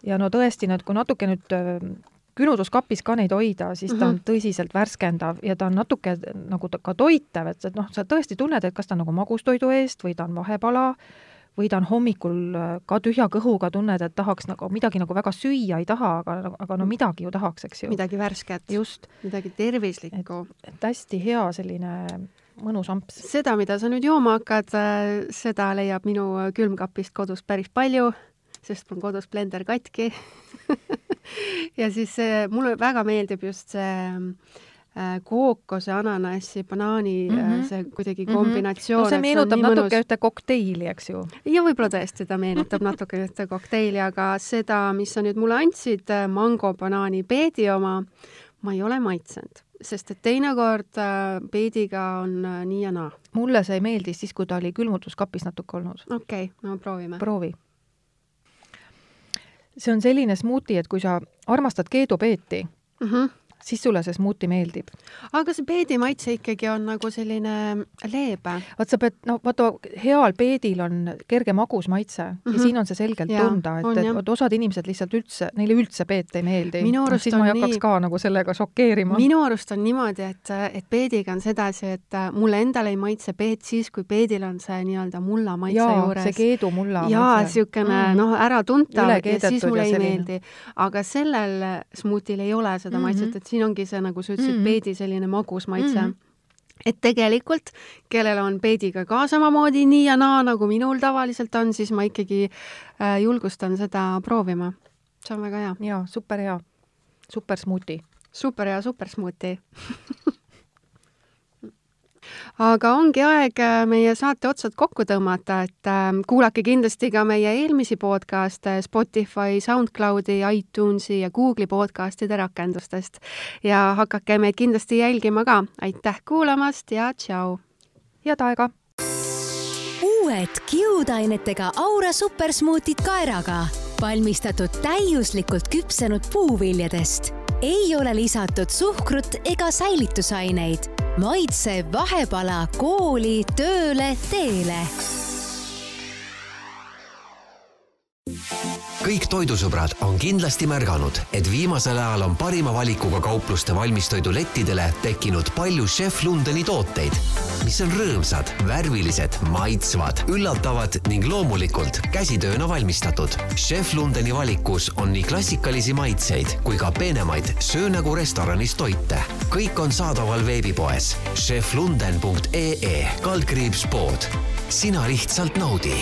Speaker 4: ja no tõesti, need, kui natuke nüüd külmutuskapis ka neid hoida, siis ta on tõsiselt värskendav ja ta on natuke nagu ka toitev, et noh, sa tõesti tunned, et kas ta on nagu magustoidu eest või ta on vahepala või ta on hommikul ka tühja kõhuga tunned, et tahaks nagu midagi nagu väga süüa ei taha, aga, aga no midagi ju tahaks, eks ju.
Speaker 3: Midagi värsket.
Speaker 4: Just.
Speaker 3: Midagi tervislikku.
Speaker 4: Et, et hästi hea selline mõnus amps.
Speaker 3: Seda, mida sa nüüd jooma hakkad, seda leiab minu külmkapist kodus päris palju, sest mul kodus blender katki. ja siis see, mulle väga meeldib just see kookose, ananassi, banaani, mm-hmm. see kuidagi kombinatsioon.
Speaker 4: No see meenutab see natuke ühte kokteili, eks ju?
Speaker 3: Ja võib-olla tõesti ta meenutab natuke ühte kokteili, aga seda, mis sa nüüd mulle andsid, mango, banaani, peedi oma, ma ei ole maitsenud, sest et teinekord peediga on nii ja naa.
Speaker 4: Mulle see meeldis siis, kui ta oli külmutuskapis natuke olnud.
Speaker 3: Okei, okay, no proovime.
Speaker 4: Proovi. See on selline smuuti, et kui sa armastad keedupeeti, mm-hmm. siis sulle see smuuti meeldib.
Speaker 3: Aga see peedi maitse ikkagi on nagu selline leebe.
Speaker 4: Vaat sa pead, no vaata, heal peedil on kerge magus maitse mm-hmm. ja siin on see selgelt ja, tunda, et, et, et osad inimesed lihtsalt üldse, neile üldse peet ei meeldi.
Speaker 3: Minu arust
Speaker 4: siis
Speaker 3: on
Speaker 4: ma ei hakkaks
Speaker 3: nii...
Speaker 4: ka nagu sellega šokeerima.
Speaker 3: Minu arust on niimoodi, et, et peediga on sedasi, et mulle endale ei maitse peet siis, kui peedil on see nii-öelda mulla maitse
Speaker 4: ja,
Speaker 3: juures.
Speaker 4: Ja, see keedu mulla
Speaker 3: ja,
Speaker 4: maitse.
Speaker 3: Siukene, mm. noh, ära tunta ja siis mulle ei
Speaker 4: selline.
Speaker 3: meeldi. Aga sellel smuutil ei ole seda mm-hmm. maitset, et siin ongi see, nagu sa ütlesid, mm-hmm. peedi selline magus maitse. Mm-hmm. Et tegelikult, kellel on peediga ka samamoodi nii ja naa, nagu minul tavaliselt on, siis ma ikkagi äh, julgustan seda proovima. See on väga hea.
Speaker 4: Ja, super hea. Super smuuti.
Speaker 3: Super hea, super smuuti. Aga ongi aeg meie saate otsad kokku tõmmata, et kuulake kindlasti ka meie eelmisi podcaste Spotify, SoundCloudi, iTunesi ja Google'i podcastide rakendustest. Ja hakake meid kindlasti jälgima ka. Aitäh kuulamast ja tšau!
Speaker 4: Head aega!
Speaker 2: Uued kiudainetega Aura supersmuutid kaeraga. Valmistatud täiuslikult küpsenud puuviljadest. Ei ole lisatud suhkrut ega säilitusaineid. Maitse vahepala kooli, tööle, teele.
Speaker 1: Kõik toidusõbrad on kindlasti märganud, et viimasel ajal on parima valikuga kaupluste valmistoidulettidele tekkinud palju Chef Lundeni tooteid, mis on rõõmsad, värvilised, maitsvad, üllatavad ning loomulikult käsitööna valmistatud. Chef Lundeni valikus on nii klassikalisi maitseid kui ka peenemaid söö nagu restoranis toite. Kõik on saadaval veebipoes chef lunden punkt ee kaldkriips pood. Sina lihtsalt naudi.